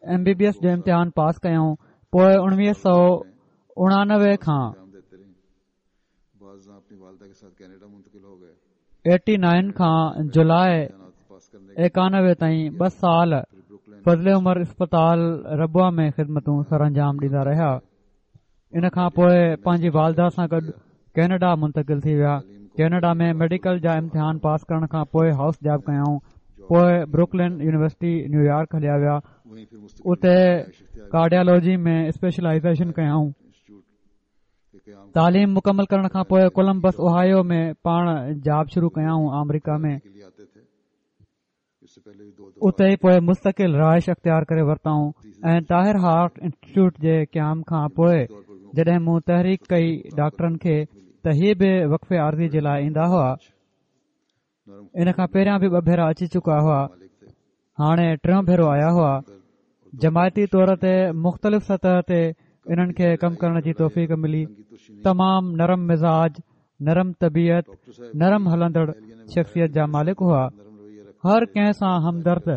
Speaker 3: ايم بي بي ايس جو امتحان پاس ڪيائون. پوءِ اڻويهه سؤ اڻانوي کان
Speaker 2: بعض अपनी वालदा के साथ कनाडा मुंतकिल हो गए.
Speaker 3: ايٽي نائن کان جولاءِ
Speaker 2: पास करने
Speaker 3: ايڪانوي تائين ٻه سال فضل عمر اسپتال ربوه ۾ خدمتون سر انجام ڏيندا رهيا. ان کان پوءِ پنهنجي والده سان گڏ ڪينيڊا منتقل ٿي ويا. ڪينيڊا ۾ ميڊيڪل جا امتحان پاس ڪرڻ کان پوءِ هائوس جاب ڪيائون. پوءِ بروڪلين يونيورسٽي نيويارڪ هليا ويا.
Speaker 2: वहीं फिर मुस्तकिल
Speaker 3: اتي ڪارڊيالاجي ۾ اسپيشلائيزيشن ڪيائون.
Speaker 2: इंस्टीट्यूट के क़याम
Speaker 3: تعليم مڪمل ڪرڻ کان پوءِ ڪولمبس اوهايو ۾ پاڻ جاب شروع ڪيائون آمريڪا ۾.
Speaker 2: के लिए आते थे. इससे पहले भी दो दफा
Speaker 3: اتي ئي پوءِ مستقل رهائش اختيار ڪري ورتائون ۽ طاهر هارٽ انسٽيٽيوٽ جي قيام کان پوءِ جڏهن مون تحريڪ ڪئي ڊاڪٽرن کي ته هي به وقف عارضي جي لاءِ ايندا هئا.
Speaker 2: नरम
Speaker 3: ان کان پهريان به ٻه ڀيرا اچي چڪا هئا.
Speaker 2: मालिक थे.
Speaker 3: هاڻي ٽيون ڀيرو آيا هئا. جماعتي طور تي مختلف سطح تي انهن کي ڪم ڪرڻ جي توفيق ملي. تمام نرم مزاج، نرم طبيعت، نرم هلندڙ شخصيت جا مالڪ هئا. هر ڪنهن سان همدرد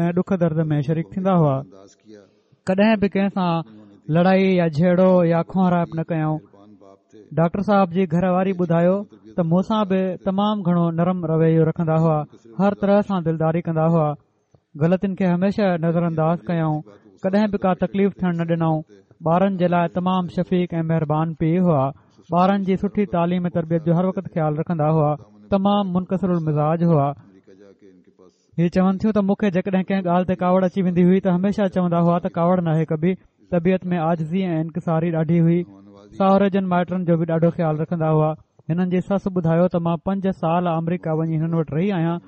Speaker 3: ۽ ڏک درد ۾ شريڪ ٿيندا هئا. ڪڏهن به ڪنهن سان لڙائي يا جهيڙو يا کهرائپ نه ڪيائون. ڊاڪٽر صاحب جي گهر واري ٻڌايو ته مون سان به تمام گهڻو نرم رويو رکندا هئا، هر طرح سان دلداري ڪندا هئا. غلطين کي هميشه نظرانداز ڪيائون، ڪڏهن به ڪا تڪليف ٿيڻ نه ڏنائون. ٻارن جي لاءِ تمام شفيق ۽ مهربان پيءُ هئا. ٻارن جي سٺي تعليم ۽ تربيت جو هر وقت خيال رکندا هئا. تمام منڪسر المزاج هئا. هي چون ٿيون ته مون کي جيڪڏهن ڪنهن ڳالهه تي ڪاوڙ اچي ويندي هئي ته هميشه چوندا هئا ته ڪاوڙ ناهي ڪبي. طبيعت ۾ عاجزي ۽ انڪساري ڏاڍي هئي. ساهرجن مائٽن جو به ڏاڍو خيال رکندا هئا. هنن جي سس ٻڌايو ته مان پنج سال آمريڪا وڃي هنن وٽ رهي آهيان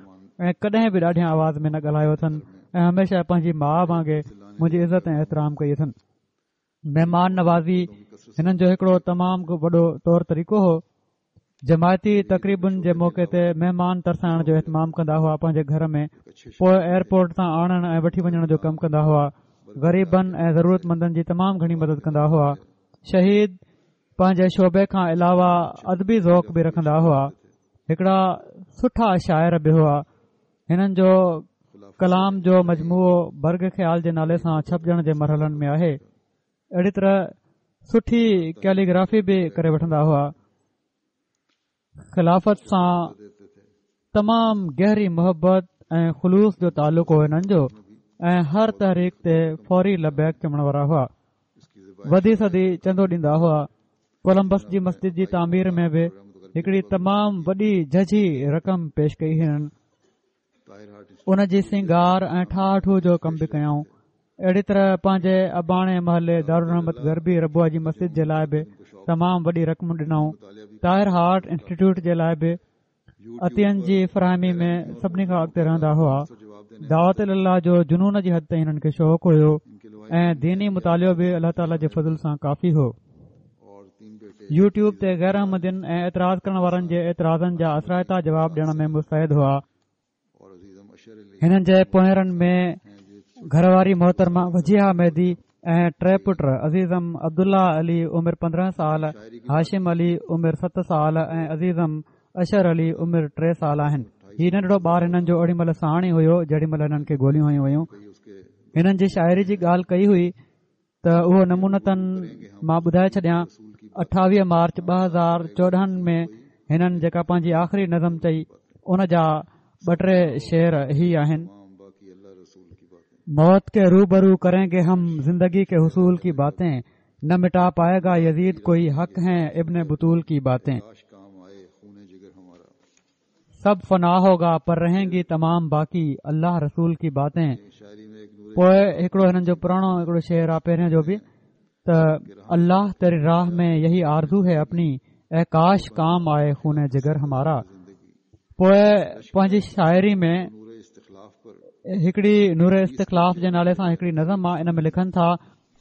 Speaker 3: ۽ ڪڏهن به ڏاڍيان آواز ۾ نه ڳالهايو اٿن ۽ هميشه پنهنجي ماءُ وانگي منهنجي عزت ۽ احترام ڪئي اٿن. مهمان نوازي هنن جو هڪڙو تمام وڏو طور طريقو هو. جماعتي تقريبن جي موقعي تي مهمان ترسائڻ جو اهتمام ڪندا هئا پنهنجي گهر ۾، پوءِ ايئرپورٽ تان آڻڻ ۽ وٺي وڃڻ جو ڪم ڪندا هئا. غريبن ۽ ضرورتمندن جي تمام گهڻي مدد ڪندا هئا. شهيد پنهنجي شعبي کان علاوه ادبي ذوق به رکندا هئا. هڪڙا سٺا شاعر به هئا. هنن جو ڪلام جو مجموعو برگ خيال جي نالي سان ڇپجڻ جي مرحلن ۾ آهي. اهڙي طرح سٺي ڪيليگرافي به ڪري وٺندا هئا. خلافت سان تمام گهري محبت ۽ خلوص جو تعلق هو هنن جو ۽ هر تحريڪ تي فوري لبيڪ چوڻ وارا هئا. وڌي سڌي چندو ڏيندا هئا. ڪولمبس جي مسجد جي تعمير ۾ به هڪڙي تمام وڏي جهجهي رقم پيش ڪئي هنن. ان جي سينگار ۽ ٺاهه ٺوهه جو ڪم به ڪيائون. اهڙي طرح پنهنجي اباڻي محلي دارالرحمت غربي ربوه جي مسجد جي لاءِ به تمام وڏي رقم ڏنائون. طاهر هارٽ انسٽيٽيوٽ جي لاءِ به عطين جي فراهمي ۾ سڀني کان اڳتي رهندا هئا. دعوت الله جو جنون جي حد تائين هنن کي شوق هيو ۽ ديني مطالعو به الله تعاليٰ جي فضل سان ڪافي هو. يوٽيوب تي غير احمدين ۽ اعتراض ڪرڻ وارن جي اعتراضن جا اثرائتا جواب ڏيڻ ۾ مستعد هئا. هنن جي پوئرن ۾ گهر واري محترمه وجيهه مهدي ۽ ٽي پٽ عزيزم عبدالله علي عمر پندرهن سال، هاشم علي عمر ست سال ۽ عزيزم اشر علي عمر ٽي سال آهن. هي ننڍڙو ٻار هنن جو اوڏي مهل ساڻ ئي هيو جيڏي مهل هنن کي گوليون هنيون ويون. هنن جي شاعري جي ڳالهه ڪئي هئي ته اهو نمونتن مان ٻڌائي ڇڏيان. اٺاويهه مارچ ٻه هزار چوڏهن ۾ هنن جيڪا پنهنجي آخري نظم چئي ان جا ٻه ٽي شعر هي آهن. موت کے روبرو کریں گے ہم زندگی کے حصول کی باتیں، نہ مٹا پائے گا یزید کوئی حق ہیں ابن بطول کی باتیں۔ سب فنا ہوگا پر رہیں گی تمام باقی اللہ رسول کی باتیں۔ پوءِ هڪڙو هنن جو پراڻو هڪڙو شعر آهي پهريون جو به ته الله تيري راهه ۾ يهي آرزو هي اپني، اي ڪاش ڪام آئي خون جگر همارا۔ پوءِ پنهنجي شاعري ۾ هڪڙي نور استخلاف جي نالي سان هڪڙي نظم آهي، ان ۾ لکن ٿا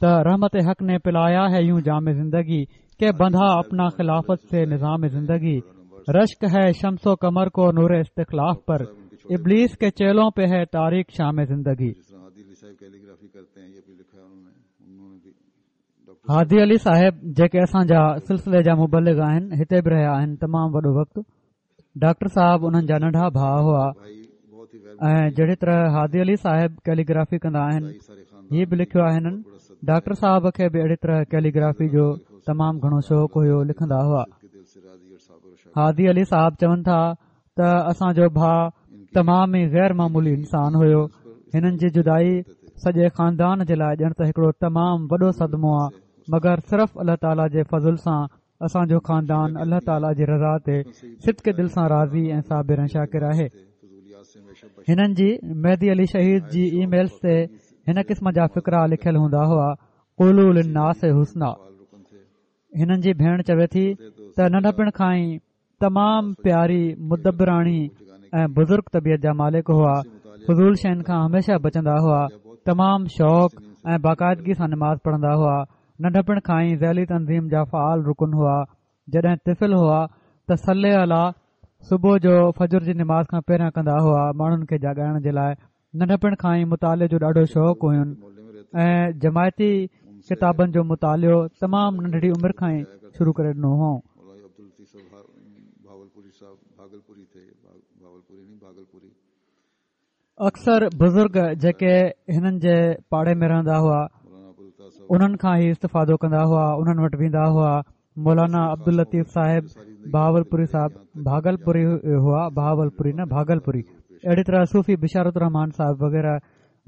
Speaker 3: ته رحمت حق ني پلايا هي يون جام زندگي، ڪه بنڌا اپنا خلافت سي نظام زندگي، رشڪ هي شمس و قمر ڪو نور استخلاف پر، ابلیس کے چیلوں پہ ہے تاریک شام زندگي۔ هادي علي صاحب جيڪي اسان جا سلسلي جا مبلغ آهن هتي به رهيا آهن تمام وڏو وقت. ڊاڪٽر صاحب انهن جا ننڍا ڀاءُ هئا ۽ جهڙي طرح هادي علي صاحب ڪيليگرافي ڪندا آهن هي به لکيو آهي هنن. ڊاڪٽر صاحب کي به اهڙي طرح ڪيليگرافي جو تمام گهڻو شوق هيو، لکندا هئا. هادي علي صاحب چون ٿا ته اسان جو ڀاءُ تمام ئي غير معمولي انسان هيو. هنن جي جدائي سڄي خاندان جي لاءِ ڄڻ ته هڪڙو تمام وڏو صدمو آهي، مگر صرف الله تعاليٰ جي فضل سان اسان جو خاندان الله تعاليٰ جي رضا تي صدق دل سان راضي ۽ صابر ۽ شاڪر آهي. هنن جي مهدي علي شهيد جي اي ميلز تي هن قسم جا فقرا لکيل هوندا هئا، قولوا للناس حسنا. هنن جي ڀيڻ چوي ٿي ته ننڍپڻ کان ئي تمام پياري، مدبراڻي ۽ بزرگ طبيعت جا مالڪ هئا. فضول شين کان هميشه بچندا هئا. تمام شوق ۽ باقاعدگي سان نماز پڙهندا هئا. ننڍپڻ کان ئي ذيلي تنظيم جا فعال رڪن هئا. جڏهن طفل هئا ته صلي الله صبح جو فجر جي نماز کان پهريان ڪندا هئا ماڻهن کي جاڳائڻ جي لاءِ. ننڍپڻ کان ئي مطالعي جو ڏاڍو شوق هين ۽ جماعتي ڪتابن جو مطالعو تمام ننڍڙي عمر کان ئي شروع ڪري ڏنو هو. اڪثر بزرگ جيڪي هنن جي پاڙي ۾ رهندا هئا انهن کان ئي استفادو ڪندا هئا، انهن وٽ ويندا هئا. مولانا عبداللطيف صاحب بهاولپوري صاحب ڀاگلپوري هئا، بهاولپوري نه ڀاگلپوري. اهڙي طرح صوفي بشارت الرحمان صاحب وغيره،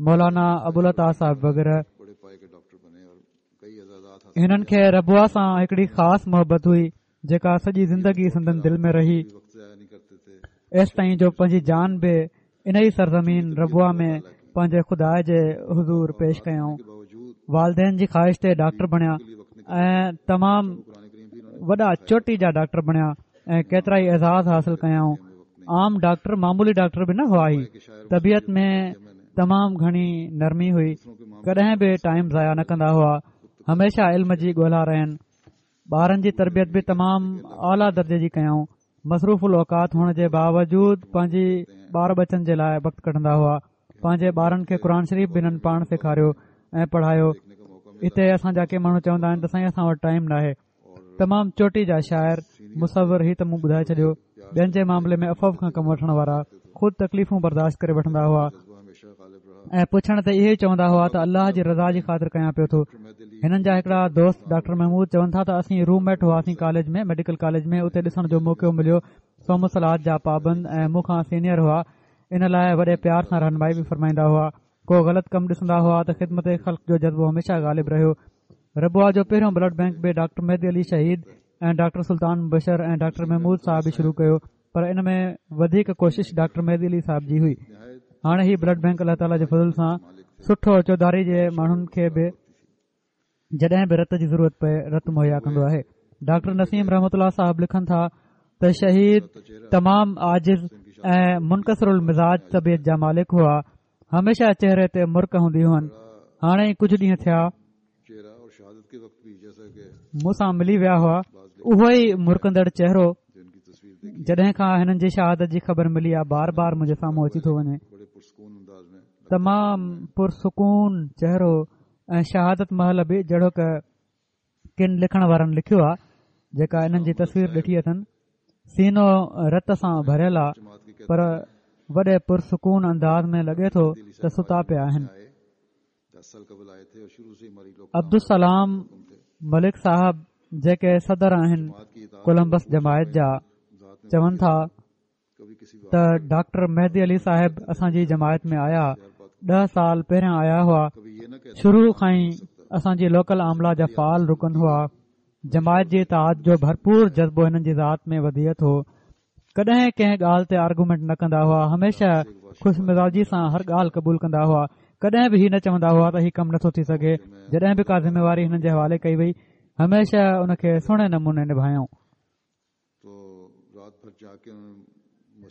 Speaker 3: مولانا ابوالعطا صاحب وغيره. هنن کي ربوه سان هڪڙي خاص محبت هئي جيڪا سڄي زندگي سندن دل ۾ رهي، ايستائين جو پنهنجي جان به ان ئي سرزمين ربوه ۾ پنهنجي خدا جي حضور پيش ڪيائون. والدين جي خواهش تي ڊاڪٽر بڻيا ۽ تمام وڏا چوٽي جا ڊاڪٽر بڻيا ۽ ڪيترا ئي اعزاز حاصل ڪيائون. عام ڊاڪٽر، معمولي ڊاڪٽر به نه هئا. هي طبيعت ۾ تمام گهڻي نرمي هئي، ڪڏهن به ٽائيم ضايع نه ڪندا هئا، هميشه علم جي ڳولا رهن. ٻارن جي تربيت به تمام اعليٰ درجي جي ڪيائون. مصروف الاوقات هئڻ جي باوجود پنهنجي ٻار ٻچن جي لاءِ وقت ڪڍندا هئا. پنهنجي ٻارن کي قرآن شريف به هنن پاڻ سيکاريو ۽ پڙهايو. هتي اسان جا ڪي ماڻهو چوندا آهن ته سائين اسان وٽ ٽائيم ناهي. تمام چوٽي جا شاعر، مصور، هي ته مون ٻڌائي ڇڏيو. ٻين جي معاملي ۾ عفو کان ڪم وٺڻ وارا، خود تڪليفون برداشت ڪري وٺندا هئا ۽ پڇڻ تي اهي ئي چوندا هئا ته الله جي رضا جي خاطر ڪيان پيو ٿو. هنن جا هڪڙا دوست ڊاڪٽر محمود چون ٿا ته اسين روم ميٽ هئاسين ڪاليج ۾، ميڊيڪل ڪاليج ۾، اتي ڏسڻ جو موقعو مليو. صوم و صلوة جا پابند ۽ مون کان سينيئر هئا، ان لاءِ وڏي پيار سان رهنمائي به فرمائيندا هئا. ڪو غلط ڪم ڏسندا هئا ته خدمت خلق جو جذبو هميشه غالب رهيو. ربوه جو پهريون بلڊ بينڪ به ڊاڪٽر مهدي علي شهيد ۽ ڊاڪٽر سلطان مبشر ۽ ڊاڪٽر محمود صاحب ئي شروع ڪيو، پر ان ۾ وڌيڪ ڪوشش ڊاڪٽر مهدي علي صاحب جي هئي. هاڻي هي بلڊ بينڪ الله تعاليٰ جي فضل سان سٺو چوڌاري جي ماڻهن کي به جڏهن به رت جي ضرورت پئي رت مهيا ڪندو آهي. ڊاڪٽر نسيم رحمت الله صاحب لکن ٿا ته شهيد تمام عاجز ۽ منڪسر المزاج طبيعت جا مالڪ هئا، هميشه چهري تي مرڪ هوندي هئن. هاڻي ئي ڪجهه ڏينهن ٿيا مون سان ملي ويا هئا، اهو ئي مرڪندڙ چهرو جڏهن کان هنن جي شهادت جي خبر ملي آ بار بار منهنجي سامهون اچي ٿو وڃي. تمام پرسڪون چهرو ۽ شهادت مهل به جهڙوڪ ڪن لکڻ وارن لکيو آ، جيڪا انهن جي تصوير ڏٺي اٿن، سينو رت سان ڀريل آ پر وڏي پرسڪون انداز ۾ لڳي ٿو ته ستا پيا آهن. عبدالسلام ملڪ صاحب جيڪي صدر آهن ڪولمبس جماعت جا، چون ٿا ته ڊاڪٽر مهدي علي صاحب اسان جي جماعت ۾ آيا، ڏهه سال پهريان آيا هئا. شروع کان ئي اسان جي لوڪل عامله جا فعال رڪن هئا. جماعت جي اطاعت جو ڀرپور جذبو هنن جي ذات ۾ وديعت هو. ڪڏهن ڪنهن ڳالهه تي آرگومينٽ نه ڪندا هئا، هميشه خوش مزاجي سان هر ڳالهه قبول ڪندا هئا. ڪڏهن به هي نه چوندا هئا ته هي ڪم نٿو ٿي سگهي. جڏهن به ڪا ذميواري هنن جي حوالي ڪئي وئي هميشه ان کي سهڻي نموني نڀايائون.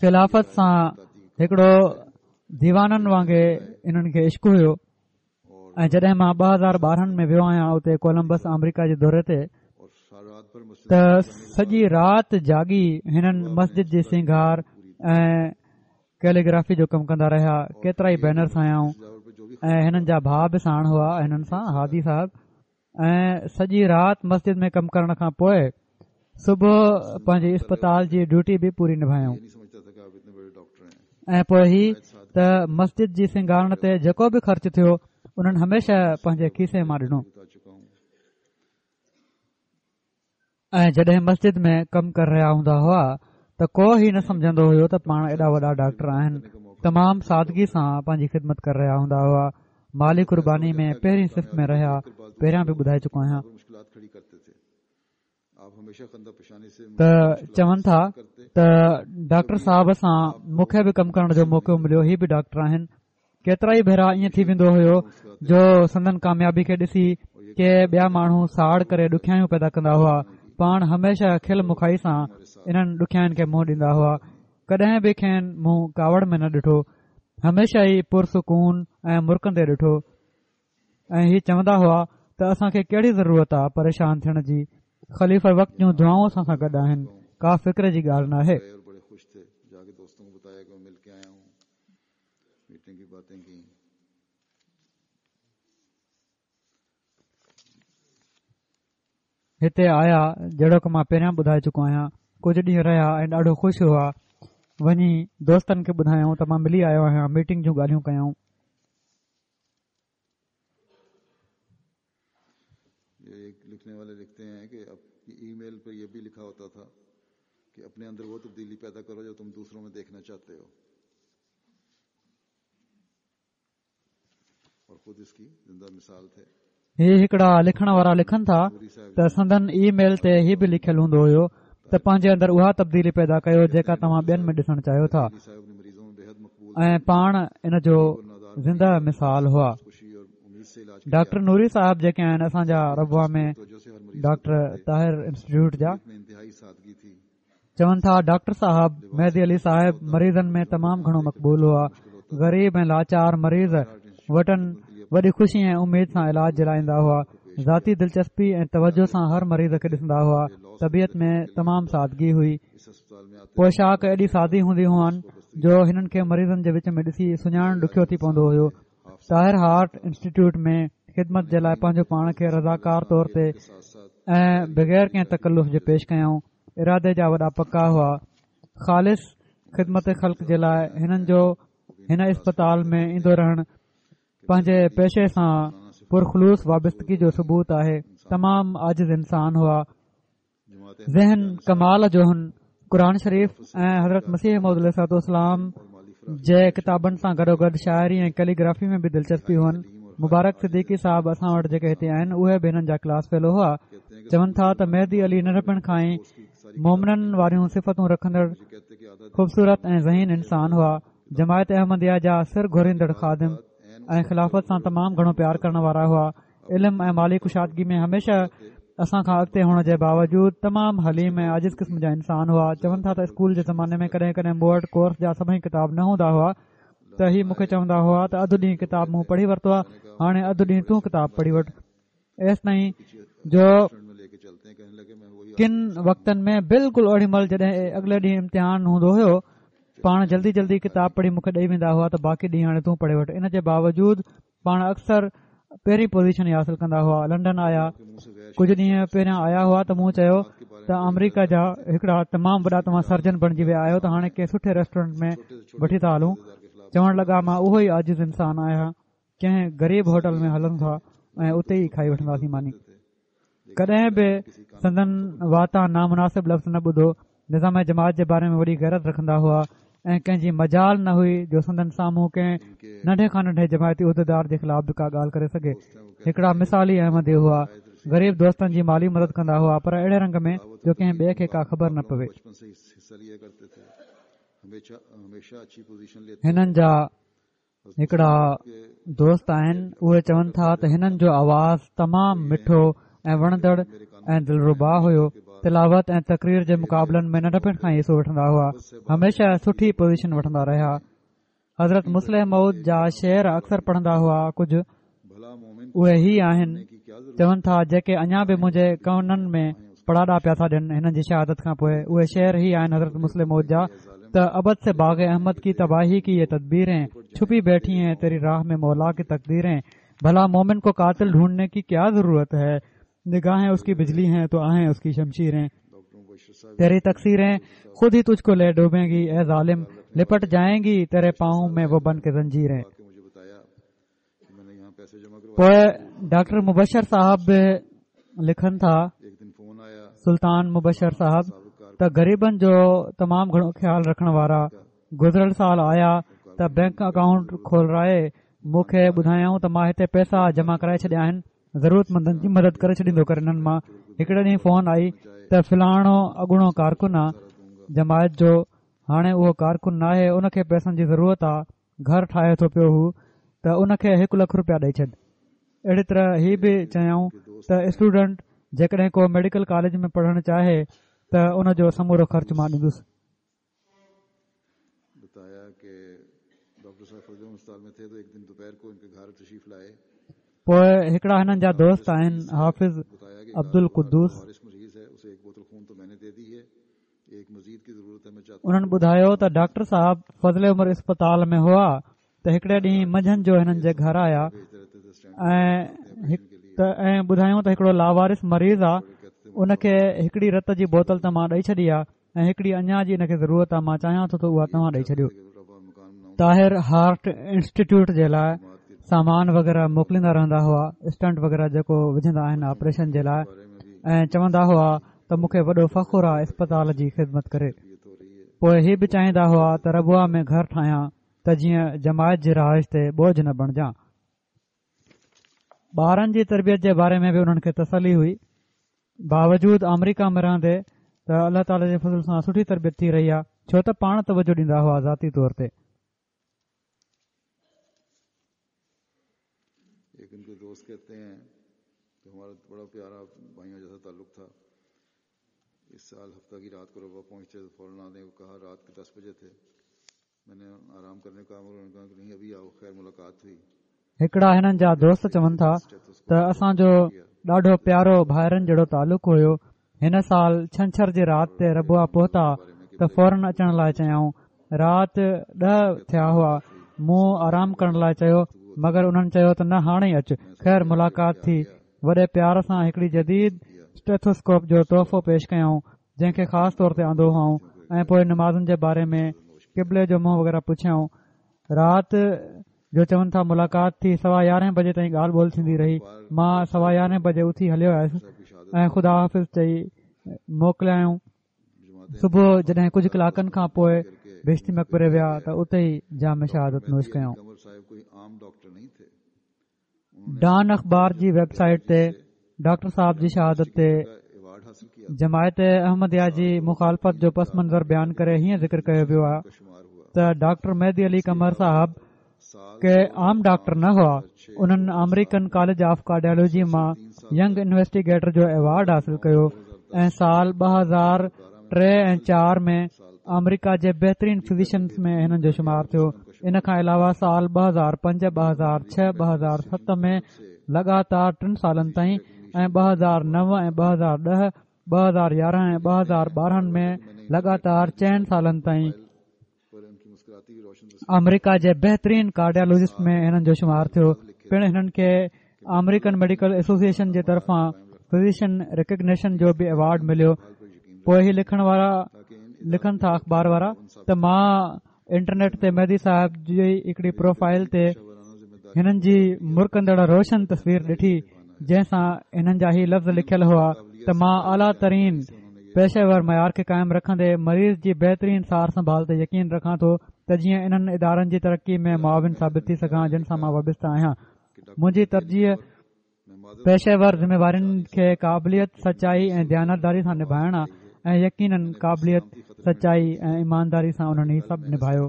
Speaker 3: خلافت سان هڪڙو ديوانن وانگي انهن کي عشق هيو ۽ جڏهن مان ٻه هزار ٻارهن ۾ ويو آهيان اتي ڪولمبس آمريڪا جي دوري تي ته سڄي رات جاڳي هنن مسجد جي سينگار ۽ ڪيليگرافي جو ڪم ڪندا رهيا. ڪيترا ئي بينرز هنيائون ۽ هنن جا ڀاءُ به ساڻ هئا هنن سان، هادي صاحب، ۽ سڄي رات مسجد ۾ ڪم ڪرڻ کان پوءِ صبح پنهنجي اسپتال جي ڊيوٽي به پوري نڀايائون. ۽ پوءِ هي ته مسجد جي سينگارڻ تي جيڪو به خرچ ٿيو انهن هميشه پنهنجي کيسي مان ڏنو. ۽ جڏهن مسجد ۾ ڪم ڪري رهيا هوندا هئا ته ڪو هي نه سمجهندو هيو ته پاڻ ايڏا وڏا ڊاڪٽر آهن. تمام سادگي سان پنهنجي خدمت ڪري رهيا هوندا هئا. مالي قرباني ۾ پهرين صف ۾ رهيا، پهريان به ٻڌائي چڪو آهيان. ته چون ٿا ته ڊاڪٽر صاحب سان مون کي به ڪم ڪرڻ جو موقعو مليو، هي به ڊاڪٽر آهن. ڪيترا ئي ڀيرا ائين ٿي ويندو هيو جو سندن ڪاميابي کي ڏسي ڪي ٻيا ماڻهو ساڙ ڪري ڏکيائيون پيدا ڪندا هئا. پاڻ هميشه کل مکائي سان انهن ڏکيائين کي منهن ڏيندا هئا. ڪڏهن به کين مون ڪاوڙ ۾ نه ڏٺو، هميشه ئي پرسڪون ۽ مرڪندي ڏٺو. ۽ هي چوندا هئا ته اسان کي ڪهڙي ضرورت آ پريشان ٿيڻ جي، خليفه وقت جون دعائون اسان سان گڏ آهن، ڪا فڪر جي ڳالهه ناهي. هتي آيا، جهڙوڪ مان پهريان ٻڌائي چڪو آهيان. ڪجهه ڏينهن رهيا ۽ ڏاڍو خوش هئا. وڃي دوستن کي ٻڌايائون ته مان ملي آيو آهيان. ميٽنگ جون ڳالهيون ڪيائون.
Speaker 2: लिखने वाले लिखते हैं कि ई मेल पर यह भी लिखा होता था कि अपने अंदर वो तब्दीली पैदा करो जो तुम दूसरों में देखना चाहते हो और खुद इसकी जिंदा मिसाल थे।
Speaker 3: هي هڪڙا لکڻ وارا لکن ٿا ته سندن اي ميل تي هي به لکيل هوندو هيو ته پنهنجي اندر اها تبديلي پيدا ڪيو جيڪا توهان ٻين ۾ ڏسڻ چاهيو ٿا، ۽ پاڻ ان جو زنده مثال هئا. ڊاڪٽر نوري صاحب جيڪي آهن اسان جا ربوه ۾ ڊاڪٽر طاهر انسٽيٽيوٽ جا، چون ٿا ڊاڪٽر صاحب مهدي علي صاحب مريضن ۾ تمام گهڻو مقبول هئا. غريب ۽ لاچار مريض وٽن وڏي خوشي ۽ اميد سان علاج جي لاءِ ايندا هئا. ذاتي دلچسپي ۽ توجه سان هر مريض کي ڏسندا هئا. طبيعت ۾ تمام سادگي هئي. پوشاڪ ايڏي سادي هوندي هئن جو هنن کي مريضن جي وچ ۾ ڏسي سڃاڻڻ ڏکيو ٿي پوندو هيو. طاهر هارٽ انسٽيٽيوٽ ۾ خدمت جي لاءِ پنهنجو پاڻ کي رضاڪار طور تي ۽ بغير ڪنهن تڪلف جي پيش ڪيائون. ارادي جا وڏا پڪا هئا. خالص خدمت خلق جي لاءِ هنن جو هن اسپتال ۾ ايندو رهڻ پنهنجي پيشي سان پرخلوص وابستگي جو ثبوت آهي. تمام عاجز انسان هئا. ذهن ڪمال جو هن. قرآن شريف ۽ حضرت مسيح موعود عليه الصلوة والسلام جي ڪتابن سان گڏوگڏ شاعري ۽ ڪيليگرافي ۾ به دلچسپي هئن. مبارڪ صديقي صاحب اسان وٽ جيڪي هتي آهن اهي به هنن جا ڪلاس فيلو هئا. چون ٿا ته مهدي علي ننڍپڻ کان ئي مومنن واريون صفتون رکندڙ خوبصورت ۽ ذهين انسان هئا. جماعت احمديه جا سر گهوريندڙ خادم ۽ خلافت سان تمام گهڻو پيار ڪرڻ وارا هئا. علم ۽ مالي ڪشادگي ۾ هميشه اسان کان اڳتي هئڻ جي باوجود تمام حليم ۽ عاجز قسم جا انسان هئا. چون ٿا ته اسڪول جي زماني ۾ ڪڏهن ڪڏهن مون وٽ ڪورس جا سڀئي ڪتاب نه هوندا هئا ته هي مون کي چوندا هئا ته اڌ ڏينهن ڪتاب مون پڙهي ورتو آهي، هاڻي اڌ ڏينهن تون ڪتاب پڙهي وٺ. ايستائين جو ڪن وقتن ۾ بلڪل اوڏي مهل جڏهن اڳلي ڏينهن امتحان هوندو هيو پاڻ جلدي جلدي ڪتاب پڙهي مون کي ڏيئي ويندا هئا ته باقي ڏينهن هاڻي تون پڙهي وٺ. ان جي باوجود پاڻ اڪثر پهرين پوزيشن ئي حاصل ڪندا هئا. لنڊن آيا ڪجهه ڏينهن پهريان آيا هئا ته مون چيو ته آمريڪا جا هڪڙا تمام وڏا توهان سرجن بڻجي ويا آهيو ته هاڻي ڪنهن سٺي ريسٽورنٽ ۾ وٺي ٿا هلون. چوڻ لڳا مان اهو ئي عاجز انسان آهيان، ڪنهن غريب هوٽل ۾ هلون ٿا ۽ اتي ئي کائي وٺنداسين ماني. ڪڏهن به سندن واتان نامناسب لفظ نه ٻڌو. نظام جماعت جي باري ۾ وڏي غيرت رکندا هئا ۽ ڪنهن جي مجال نه هئي جو سندن سامهون ڪنهن ننڍي کان ننڍي جماعتي عهديدار جي خلاف به ڪا ڳالهه ڪري سگهي. هڪڙا مثالي احمدي هئا. غريب دوستن جي مالي مدد ڪندا هئا پر اهڙي رنگ ۾ جو ڪنهن ٻئي کي ڪا خبر نه پوي. هنن جا هڪڙا دوست آهن، اهي چون ٿا ته هنن جو آواز تمام مٺو ۽ وڻندڙ ۽ دلربا هيو. تلاوت ۽ تقرير جي مقابلن ۾ ننڍپڻ کان ئي حصو وٺندا هئا. هميشه سٺي پوزيشن وٺندا رهيا. حضرت مصلح موعود جا شعر اڪثر پڙهندا هئا. ڪجهه اهي هي آهن، چون ٿا جيڪي اڃا به منهنجي ڪنن ۾ پڙاڏا پيا ٿا ڏين هنن جي شهادت کان پوءِ. اهي شعر هي آهن حضرت مصلح موعود جا ته ابد से बाग अहमद की तबाही की ये तदबीरें छुपी बैठी हैं तेरी राह में मौला की तकदीरें। भला मोमिन को कातिल ढूंढने की क्या जरूरत है, निगाहें उसकी बिजली हैं तो आहें उसकी शमशीरें। तेरी तकसीरें खुद ही तुझको ले डूबेंगी ए जालिम, लिपट जाएंगी तेरे पाँव में वो बन के जंजीरें। पोइ डॉक्टर मुबशर साहब लिखन था, सुल्तान मुबशर साहब, त गरीबन जो तमाम घणो ख़्याल रखण वारा गुज़िरियल साल आया त बैंक अकाउंट खोलराए मूंखे ॿुधायाऊं त मां हिते पैसा जमा कराए छॾिया आहिनि, ज़रूरतमंदनि जी मदद करे छॾींदो कर। हिननि मां हिकिड़े ॾींहुं फोन आई त फलाणो अॻूणो कारकुन आहे जमायत जो, हाणे उहो कारकुन न आहे, उनखे पैसनि जी ज़रूरत आहे, घर ठाहे थो पियो हू त उनखे हिकु लख रुपया ॾेई छॾ। अहिड़ी तरह ही बि चयाऊं त स्टूडेंट जेकॾहिं को मेडिकल कॉलेज में पढ़णु चाहे त उन जो समूरो ख़र्च मां ॾींदुसि। पोइ हिकिड़ा हिननि जा दोस्त आहिनि हाफ़िज़ अब्दुल कुद्दूस, उन्हनि ॿुधायो त डॉक्टर साहब फज़ल उमर अस्पताल में हुआ त हिकिड़े ॾींहुं मंझंदि जो हिननि जे घर आया ऐं ॿुधायूं त हिकिड़ो लावारिस मरीज़ आहे, ان کي هڪڙي رت جي بوتل ته مان ڏئي ڇڏي آهي ۽ هڪڙي اڃا جي ان کي ضرورت آهي، مان چاهيان ٿو ته اها توهان ڏئي ڇڏيو. طاهر هارٽ انسٽيٽيوٽ جي لاءِ سامان وغيره موڪليندا رهندا هئا، اسٽنٽ وغيره جيڪو وجهندا آهن آپريشن جي لاءِ، ۽ چوندا هئا ته مون کي وڏو فخر آهي اسپتال جي خدمت ڪري. پوءِ هي به چاهيندا هئا ته ربوه ۾ گهر ٺاهيان ته جيئن جماعت جي رهائش تي بوجهه نه بڻجان. ٻارن جي تربيت جي باري ۾ به انهن کي تسلي هئي، باوجود آمريڪا ۾ رهندي ته الله تعاليٰ جي فضل سان سٺي تربيت ٿي رهي آهي، ڇو ته پاڻ توجهه ڏيندا هئا ذاتي طور تي.
Speaker 2: एक उनके दोस्त कहते हैं कि हमारा बड़ा प्यारा भाइयों जैसा ताल्लुक था। इस साल हफ्ता की रात को रबवा पहुंचे तो फौरन आने को कहा। रात के दस बजे थे, मैंने आराम करने का उन्होंने कहा कि नहीं अभी आओ, खैर मुलाकात हुई।
Speaker 3: हिकिड़ा हिननि जा दोस्त चवनि था त असांजो ॾाढो प्यारो भाइरनि जहिड़ो तालुक हुयो। हिन साल छंछर जी राति ते रबवा पहुता त फौरन अचण लाइ चयाऊं। राति ॾह थिया हुआ, मूं आराम करण लाइ चयो, मगर उन्हनि चयो त न हाणे ई अच। ख़ैर मुलाक़ात थी। वॾे प्यार सां हिकिड़ी जदीद स्टेथोस्कोप जो तोहफ़ो पेश कयाऊं, जंहिंखे ख़ासि तौर ते आंदो हुआऊं, ऐं पोइ नमाज़ुनि जे बारे में क़िबले जो मुंहुं वग़ैरह पुछियाऊं। राति जो चवनि था मुलाक़ात थी, सवा यारहें बजे ताईं ॻाल्हि ॿोल थींदी रही। मां सवा यारहें बजे उथी हलियो आयुसि ऐं ख़ुदा हाफ़िज़ चई मोकिलियाऊं। सुबुह जॾहिं कुझु कलाकनि खां पोइ बेश्ती मक़बरे विया त उते ई जाम शहादत नोश कयाऊं। डॉन अख़बार जी वेबसाइट ते डॉक्टर साहब जी शहादत ते जमायत अहमदिया जी मुखालफ़त जो पस मंज़र बयान करे हीअं ज़िक्र कयो वियो आहे त डॉक्टर मेहदी अली कमर साहब के आम डॉक्टर न हुआ, उन्हनि आमेरिकन कॉलेज ऑफ कार्डियोलॉजी मां यंग इन्वेस्टिगेटर जो अवार्ड हासिल कयो ऐं साल ॿ हज़ार टे ऐं चार में आमेरिका जे बहितरीन फिजिशियंस में हिननि जो शुमार थियो। इन खां अलावा साल ॿ हज़ार पंज, ॿ हज़ार छह, ॿ हज़ार सत में लगातार टिनि सालनि ताईं ऐं ॿ हज़ार नौ ऐं ॿ हज़ार ॾह, ॿ हज़ार यारहं ऐं ॿ हज़ार ॿारहं में लगातार चइनि सालनि ताईं आमेरिका जे बहितरीन कार्डियोलॉजिस्ट में हिननि जो शुमार थियो। पिणु हिननि खे आमेरिकन मेडिकल एसोसिएशन जे तरफ़ां फिजिशियन रिकग्निशन जो बि अवार्ड मिलियो। पोइ ही लिखण वारा लिखनि था अख़बार वारा त मां इंटरनेट ते मेहदी साहिब जी हिकिड़ी प्रोफाइल ते हिननि जी मुरकंदड़ रोशन तस्वीर ॾिठी, जंहिंसां हिननि जा ही लफ़्ज़ लिखियल हुआ त मां आला तरीन पेशेवर मयार खे क़ाइमु रखंदे मरीज़ जी बहितरीन सार संभाल ते यकीन रखां थो त जीअं इन्हनि इदारनि जी तरक़ी में मुआविन साबित थी सघां जिन सां मां वाबस्ता आहियां। मुंहिंजी तरजीह पेशेवर ज़िम्मेवारियुनि खे क़ाबिलियत, सचाई ऐं दयानतदारी सां निभाइण आहे ऐं यकीनन क़ाबिलियत, सचाई ऐं ईमानदारी सां उन्हनि ही सभु निभायो।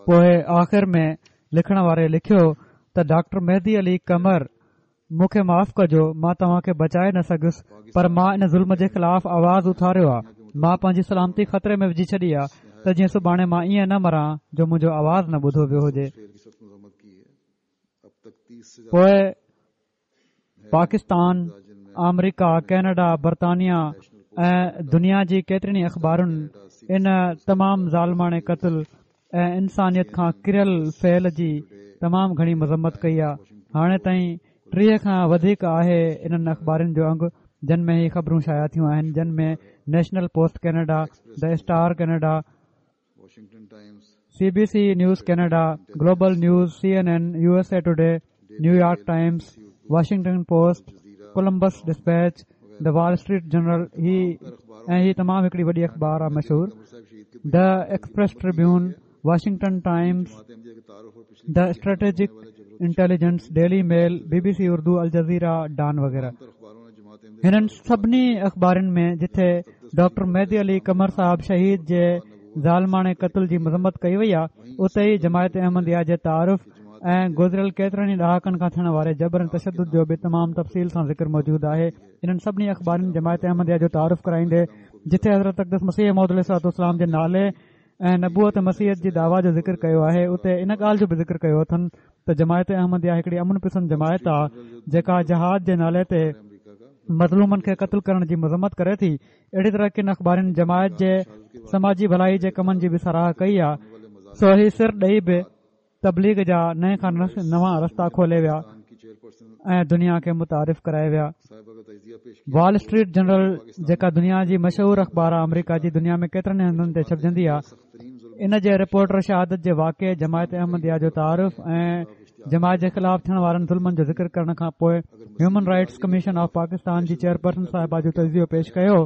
Speaker 3: पोइ आख़िर में लिखण वारे लिखियो त डॉक्टर मेहदी अली कमर, मूंखे माफ़ कजो, मां तव्हांखे बचाए न सघियुसि, पर मां इन ज़ुल्म जे ख़िलाफ़ आवाज़ उथारियो आहे। मां पंहिंजी सलामती ख़तरे में विझी छॾी आहे त जीअं सुभाणे मां ईअं न मरां जो मुंहिंजो आवाज़ न ॿुधो वियो हुजे। पोइ पाकिस्तान, आमेरिका, कनाडा, बर्तानिया ऐं दुनिया जी केतिरनि ई अख़बारुनि इन तमामु ज़ालिमाणे क़तल ऐं इंसानियत खां किरियल फ़ैल जी तमामु घणी मज़म्मत कई आहे। हाणे ताईं टीह खां वधीक आहे इन्हनि अख़बारुनि जो अंग जन में ही ख़बरूं शाया थियूं आहिनि, जन में National Post Canada, the Star Canada, C B C News Canada, Global News, C N N, U S A Today, New York Times, Washington Post, Columbus Dispatch, the Wall Street Journal ही ऐं ही तमामु हिकिड़ी वॾी अख़बार आहे मशहूर, the Express Tribune, Washington Times, the Strategic Intelligence, Daily Mail, B B C Urdu, Al Jazeera, Dawn वग़ैरह। हिननि सभिनी अख़बारुनि में जिथे डॉक्टर मेहदी अली कमर साहब शहीद जे ज़ालिमाणे क़तल जी मज़म्मत कई वई आहे, उते ई जमायत अहमदिया जे तारुफ़ ऐं गुज़िरियल केतिरनि ई ॾहाकनि खां थियण वारे जबर ऐं तशद्दुद जो बि तमामु तफ़सील सां ज़िक्र मौजूदु आहे। इन्हनि सभिनी अख़बारुनि जमायत अहमदिया जो तारुफ़ कराईंदे जिथे हज़रत अक़दस मसीह मौद अलैहिस्सलाम जे नाले ऐं नबूअत मसीहत जी दावा जो ज़िक्र कयो आहे, उते इन ॻाल्हि जो बि ज़िक्र कयो अथनि त जमायत अहमदिया हिकिड़ी अमन पसंद जमायत आहे जेका जहाद जे नाले ते मज़लूमनि खे क़तल करण जी मज़म्मत करे थी। अहिड़ी तरह किन अख़बारुनि जमायत जे समाजी भलाई जे कमनि जी बि सराह कई आहे। सो ही सिर ॾेई बि तबलीग जा नए खां नवां रस्ता खोले विया। ۽ دنيا کي متعارف ڪرائي ويا. وال اسٽريٽ جنرل جيڪا دنيا جي مشهور اخبار آهي، آمريڪا جي دنيا ۾ ڪيترن هنڌن تي ڇپجندي آهي، ان جي رپورٽر شهادت جي واقعي، جماعت احمديه جو تعارف ۽ جماعت جي خلاف ٿيڻ وارن ظلمن جو ذڪر ڪرڻ کان پوءِ Human Rights Commission of Pakistan جي چيئرپرسن صاحبه جو تجزيو پيش ڪيو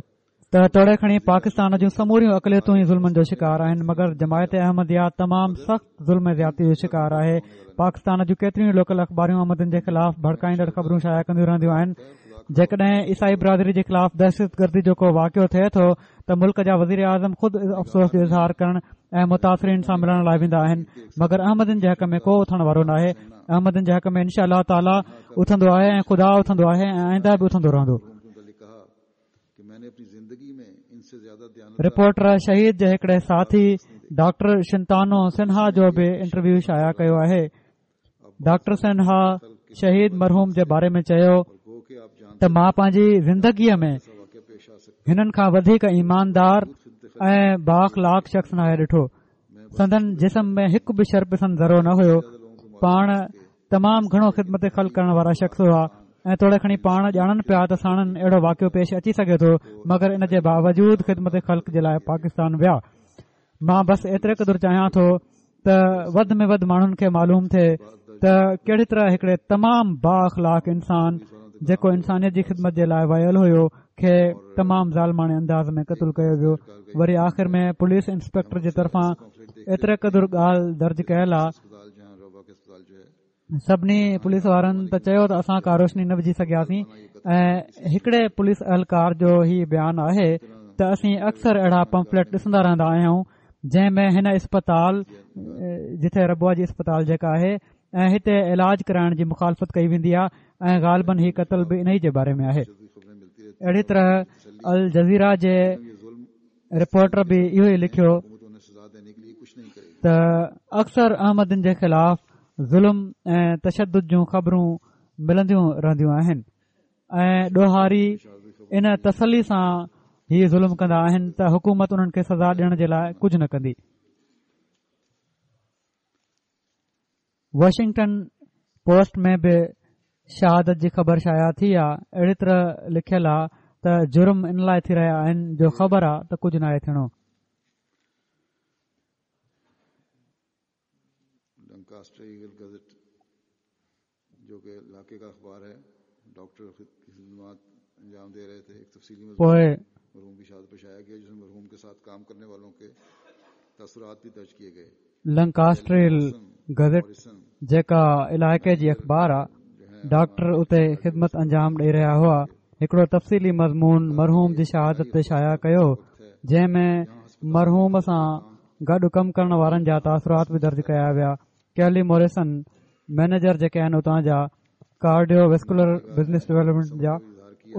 Speaker 3: ته توڙي کڻي پاڪستان جون سموريون اقليتون ئي ظلمن جو شڪار آهن، مگر جماعت احمديه تمام سخت ظلم زيادتي جو شڪار آهي. پاڪستان جون ڪيتريون ئي لوڪل اخباريون احمدين جي خلاف ڀڙڪائيندڙ خبرون شايع ڪنديون رهنديون آهن. جيڪڏهن عيسائي برادري جي خلاف دهشتگردي جو ڪو واقعو ٿئي ٿو ته ملڪ جا وزير اعظم خود افسوس جو اظهار ڪرڻ ۽ متاثرين سان ملڻ لاءِ ويندا آهن، مگر احمدين جي حق ۾ ڪو اٿڻ وارو ناهي. احمدين جي حق ۾ انشاء الله تعاليٰ اٿندو آهي ۽ خدا اٿندو آهي ۽ آئنده به اٿندو رهندو. رپورٽر شهيد جي هڪڙي ساٿي ڊاڪٽر شنتانو سنها جو به انٽرويو شايع ڪيو آهي. ڊاڪٽر سنها شهيد مرحوم جي باري ۾ چيو ته مان پنهنجي زندگيءَ ۾ هنن کان وڌيڪ ايماندار ۽ بااخلاق شخص ناهي ڏٺو. سندن جسم ۾ هڪ به شرپسند ذرو نه هيو. پاڻ تمام گهڻو خدمت خلق ڪرڻ وارا شخص هئا ۽ توڙي کڻي پاڻ ڄاڻن پيا ته ساڻن اهڙو واقعو پيش اچي سگهي ٿو، مگر ان جي باوجود خدمت خلق جي لاءِ پاڪستان ويا. مان بس ايتري قدر چاهيان ٿو ته وڌ ۾ وڌ ماڻهن کي معلوم ٿئي ته ڪهڙي طرح هڪڙي تمام بااخلاق انسان جيڪو انسانيت جي خدمت جي لاءِ ويل هيو کي تمام ظالماڻي انداز ۾ قتل ڪيو ويو. وري آخر ۾ پوليس انسپيڪٽر جي طرفان ايتري قدر ڳالهه درج ڪيل آهي. سڀني پوليس وارن ته چيو ته اسان ڪا روشني نه وجهي سگهياسين ۽ هڪڙي پوليس اهلڪار جو هي بيان آهي ته اسين اڪثر اهڙا پمفليٽ ڏسندا رهندا آهيون جنهن ۾ هن اسپتال جتي ربوه جي اسپتال جيڪا آهي ۽ هتي علاج ڪرائڻ جي مخالفت ڪئي ويندي آهي ۽ غالبن هي قتل به انهي جي باري ۾ آهي. اهڙي طرح الجزيره جي رپورٽر به اهو ئي لکيو ته اڪثر احمدين جي خلاف ظلم ۽ تشدد جون خبرون ملنديون رهنديون آهن ۽ ڏوهاري ان تسلي سان هي ظلم ڪندا آهن ته حڪومت انهن کي سزا ڏيڻ جي لاءِ ڪجهه نه ڪندي. واشنگٽن پوسٽ ۾ به شهادت جي خبر شايع ٿي آهي. اهڙي طرح لکيل آهي ته جرم ان لاءِ ٿي رهيا آهن جو خبر آهي ته ڪجهه ناهي ٿيڻو. پوءِ لنڪاسٽريل گزٽ جيڪا علائقي جي اخبار آهي، ڊاڪٽر اتي خدمت انجام ڏيئي رهيا هئا، هڪڙو تفصيلي مضمون مرحوم جي شهادت تي شايع ڪيو جنهن ۾ مرحوم سان گڏ ڪم ڪرڻ وارن جا تاثرات به درج ڪيا ويا. ڪيلي موريسن مئنيجر جيڪي آهن اتان جا ڪارڊيو ويسڪولر بزنس ڊولپمينٽ جا،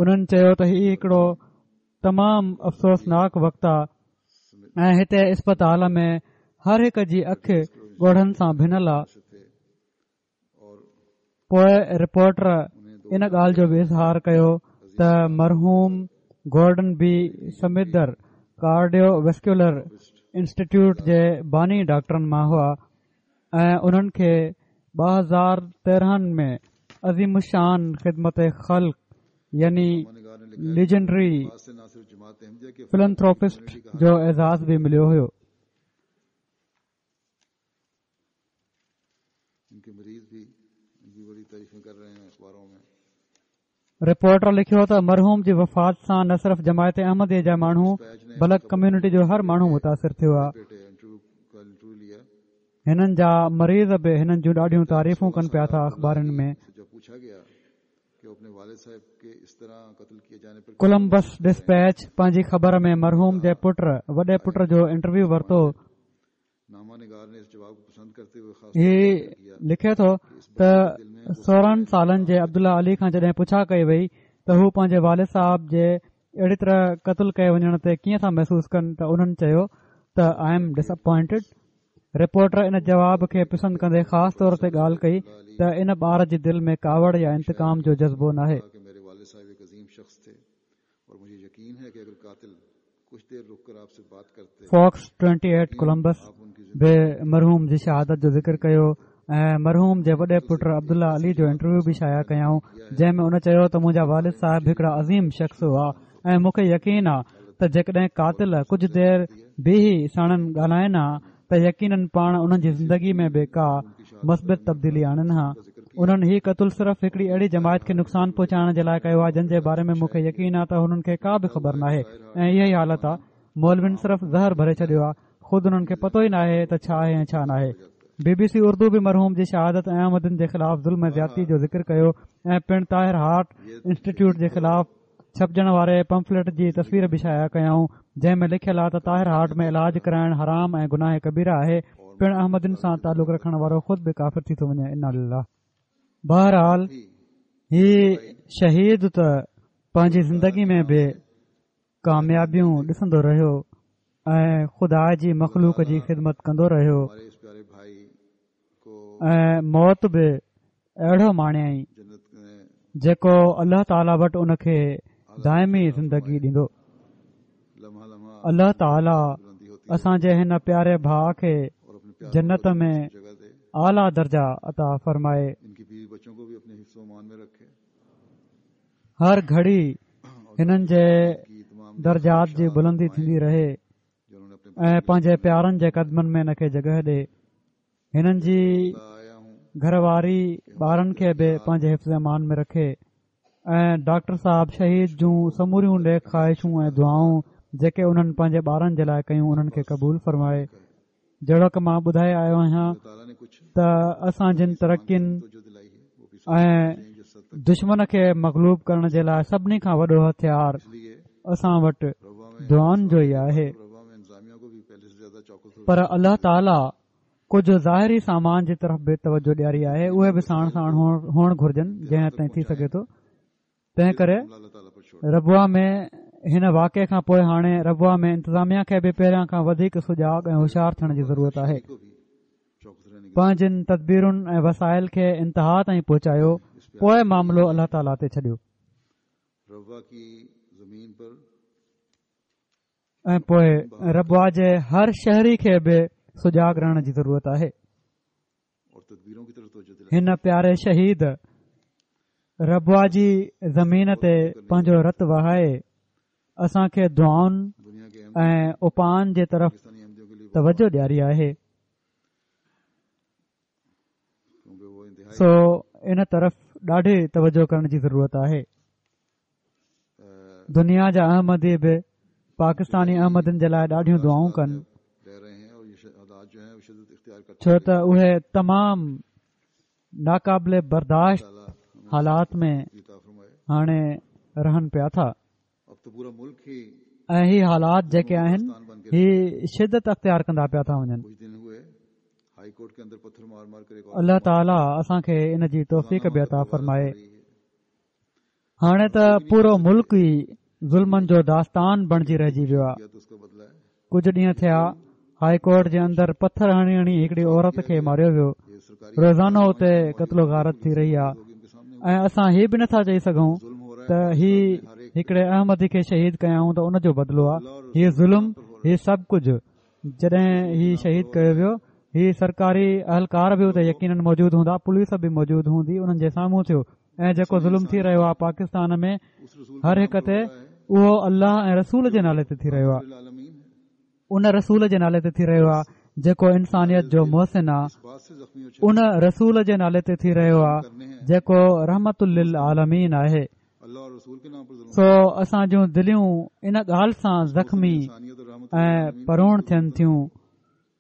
Speaker 3: انهن چيو ته هي هڪڙو تمام افسوسناڪ وقت آهي ۽ هتي اسپتال ۾ هر هڪ جي اک ڳوڙهن سان ڀنل آهي. پوءِ رپورٽر ان ڳالهه جو به اظهار ڪيو ته مرحوم Gordon B Smither cardiovascular institute جي باني ڊاڪٽرن مان هئا ۽ انهن کي ٻه هزار تيرهن ۾ عظيم الشان خدمت خلق يعني ليجنڊري فلنٿروپسٽ جو اعزاز به مليو هيو. رپورٽر لکيو ته مرحوم جي وفات سان نه صرف جماعت احمديه جا ماڻهو بلڪ ڪميونٽي جو هر ماڻهو متاثر ٿيو آهي. هنن جا مريض به هنن جون ڏاڍيون تعريفون ڪن پيا ٿا اخبارن ۾. ڪولمبس ڊسپيچ پنهنجي خبر ۾ مرحوم جي پٽ وڏي پٽ جو انٽرويو ورتو. هي لکي ٿو ته سورهن سالن جي عبدالله علي کان جڏهن پڇا ڪئي وئي ته هو پنهنجي والد صاحب جي اهڙي طرح قتل ڪئي وڃڻ تي ڪيئن ٿا محسوس ڪن ته انهن چيو ته I am disappointed. Reporter ان جواب کي پسند ڪندي خاص طور تي ڳالهه ڪئي ته ان ٻار جي دل ۾ ڪاوڙ يا انتقام جو جذبو ناهي. فاڪس ٽوئنٽي ايٽ ڪولمبس به مرحوم جي شهادت جو ذڪر ڪيو ۽ مرحوم جي وڏي پٽ عبدالله علي جو انٽرويو به شايع ڪيائون، جنهن ۾ ان چيو ته منهنجا والد صاحب هڪڙا عظيم شخص هئا ۽ مون کي يقين آ ته جيڪڏهن قاتل ڪجهه دير بيهي ساڻن ڳالهائن ها ته يقينن پاڻ انهن جي زندگي ۾ به ڪا مثبت تبديلي آڻن ها. انهن هي قتل صرف هڪڙي اهڙي جماعت کي نقصان پهچائڻ جي لاء ڪيو آهي جن جي باري ۾ مون کي يقين آهي ته هنن کي ڪا به خبر ناهي ۽ اها ئي حالت آهي. مولوين صرف زهر ڀري ڇڏيو آهي، خود انهن کي پتو ئي ناهي ته ڇا آهي ۽ ڇا ناهي. بي بي سي اردو به مرحوم جي شهادت ۽ احمدين جي خلاف ظلم ۽ زيادتي جو ذڪر ڪيو ۽ پڻ طاهر هارٽ انسٽيٽيوٽ جي خلاف ڇپجڻ واري پمفليٽ جي تصوير به شايع ڪيائون، جنهن ۾ لکيل آهي ته طاهر هارٽ ۾ علاج ڪرائڻ حرام ۽ گناهه ڪبيره آهي، پڻ احمدين سان تعلق رکڻ وارو خود به ڪافر ٿي ٿو وڃي. انا لله. بهرحال هي شهيد ته پنهنجي زندگي ۾ به ڪاميابيون ڏسندو رهيو ۽ خدا جي مخلوق جي خدمت ڪندو رهيو ۽ موت به اهڙو ماڻيائين جيڪو الله تعاليٰ وٽ ان کي دائمي زندگي ڏيندو. الله تعاليٰ اسان جي هن پياري ڀاء کي جنت ۾ اعليٰ درجا عطا فرمائي. هر گهڙي هنن جي درجات جي بلندي ٿيندي رهي ۽ پنهنجي پيارن جي قدمن ۾ هن کي جڳهه ڏي. هنن جي گهر واري ٻارن کي به پنهنجي حفظ امان ۾ رکي ۽ ڊاڪٽر صاحب شهيد جون سموريون نيڪ خواهشون ۽ دعائون جيڪي انهن پنهنجي ٻارن جي لاء ڪيون انهن کي قبول فرمائي. جهڙوڪ مان ٻڌائي آيو آهيان ته اسان جن ترقين ۽ دشمن کي مغلوب ڪرڻ جي لاء سڀني کان وڏو هٿيار اسان وٽ دعائن جو ئي آهي، پر الله تعاليٰ ڪجهه ظاهري سامان جي طرف به توجه ڏياري آهي، اهي به ساڻ ساڻ هئڻ گهرجن جنهن حد تائين ٿي سگهي ٿو. تنهن ڪري ربوه ۾ هن واقعي کان پوء هاڻي ربوه ۾ انتظاميا کي به پهريان کان وڌيڪ سجاڳ ۽ هوشيار ٿيڻ جي ضرورت آهي. پنهنجين تدبيرن ۽ وسائل کي انتها تائين پهچايو، پوء معاملو الله تعاليٰ تي ڇڏيو. ۽ پوء ربوه جي هر شهري کي به سجاڳ رهڻ جي ضرورت آهي. هن پياري شهيد ربوه جي زمين تي پنهنجو رت وهائي اسان کي دعائن ۽ اپائن جي طرف توجه ڏياري آهي، سو ان طرف ڏاڍي توجه ڪرڻ جي ضرورت آهي. دنيا جا احمدي به پاڪستاني احمدين جي لاء ڏاڍيون دعائون ڪن، ڇو ته اهي تمام ناقابل برداشت حالات ۾ هاڻي رهن پيا ٿا ۽ هي حالات جيڪي آهن هي شدت اختيار ڪندا پيا ٿا وڃن. الله تعاليٰ اسان کي ان جي توفيق به عطا فرمائي. هاڻي ته پورو ملڪ ئي ظلمن جو داستان بڻجي رهجي ويو آهي. ڪجهه ڏينهن ٿيا هائي ڪورٽ جي اندر پٿر هڻي هڻي هڪڙي عورت کي ماريو ويو. روزانو اتي قتل و غارت ٿي رهي آهي ۽ اسان هي به نٿا چئي سگهون ته هي هڪڙي احمدي کي شهيد ڪيائون ته ان جو بدلو آهي. هي ظلم، هي سڀ ڪجهه جڏهن هي شهيد ڪيو ويو، هي سرڪاري اهلڪار به اتي يقينن موجود هوندا، پوليس به موجود هوندي، انهن جي سامهون ٿيو ۽ جيڪو ظلم ٿي رهيو آهي پاڪستان ۾ هر هڪ تي، اهو الله ۽ رسول جي نالي تي ٿي رهيو آهي. ان رسول جي نالي تي ٿي رهيو آهي جيڪو انسانيت جو محسن آهي. ان رسول جي نالي تي ٿي رهيو آهي جيڪو رحمت للعالمين آهي. سو اسان جون دليون ان ڳالهه سان زخمي ۽ پروڻ ٿين ٿيون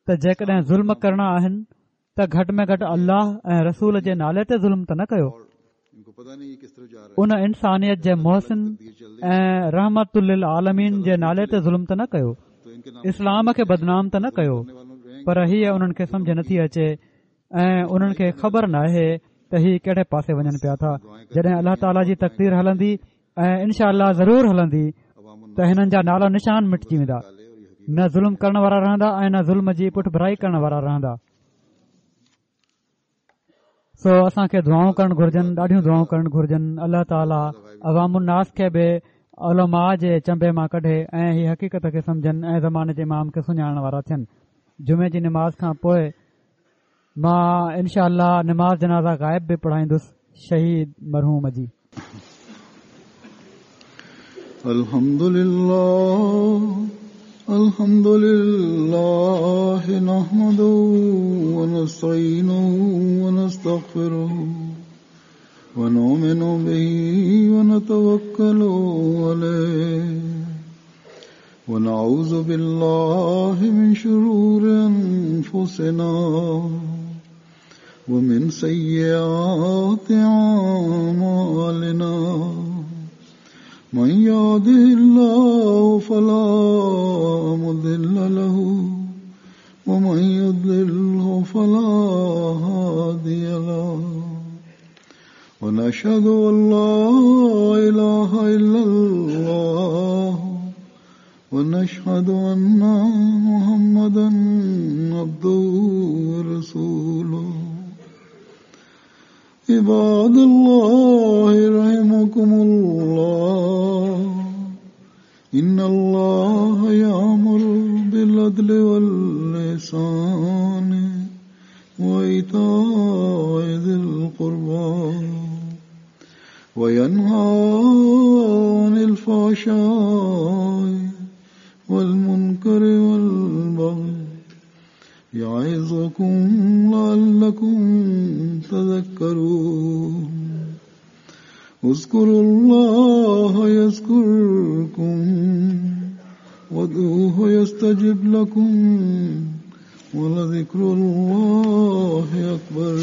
Speaker 3: ته جيڪڏهن ظلم ڪرڻا آهن ته گهٽ ۾ گهٽ الله ۽ رسول جي نالي تي ظلم ته نه ڪيو. ان انسانيت جي محسن ۽ رحمت للعالمين جي نالي تي ظلم ته نه ڪيو، اسلام کي بدنام ته نه ڪيو، پر هيء انهن کي سمجهه نٿي اچي ۽ انهن کي خبر ناهي ته هي ڪهڙي پاسي وڃن پيا ٿا. جڏهن الله تعاليٰ جي تقدير هلندي ۽ انشاء الله ضرور هلندي ته هنن جا نالا نشان مٽجي ويندا، نه ظلم ڪرڻ وارا رهندا ۽ نه ظلم جي پٺڀرائي ڪرڻ وارا رهندا. سو اسان کي دعائون ڪرڻ گهرجن، ڏاڍيون دعائون ڪرڻ گهرجن. الله تعاليٰ عوام الناس کي به علماء جي چنبي مان ڪڍي ۽ هي حقيقت کي سمجهن ۽ زماني جي امام کي سڃاڻڻ وارا ٿين. جمعي جي نماز کان پوء مان انشاء الله نماز جنازه غائب به پڙهائيندس شهيد مرحوم جي.
Speaker 2: الحمد لله الحمد لله نحمده ونستعينه ونستغفره ونؤمن به ونتوكل عليه ونعوذ بالله من شرور أنفسنا ومن سيئات أعمالنا من يهده الله فلا مضل له ومن يضلله فلا هادي له ونشهد أن لا إله إلا الله ونشهد أن محمدا عبده ورسوله. عباد الله رحمكم الله إن الله يأمر بالعدل والإحسان وإيتاء ذي القربى وينهى عن الفحشاء والمنكر والبغي يعظكم لعلكم تذكرون. اذكروا الله يذكركم وادعوه يستجب لكم ولذكر الله أكبر.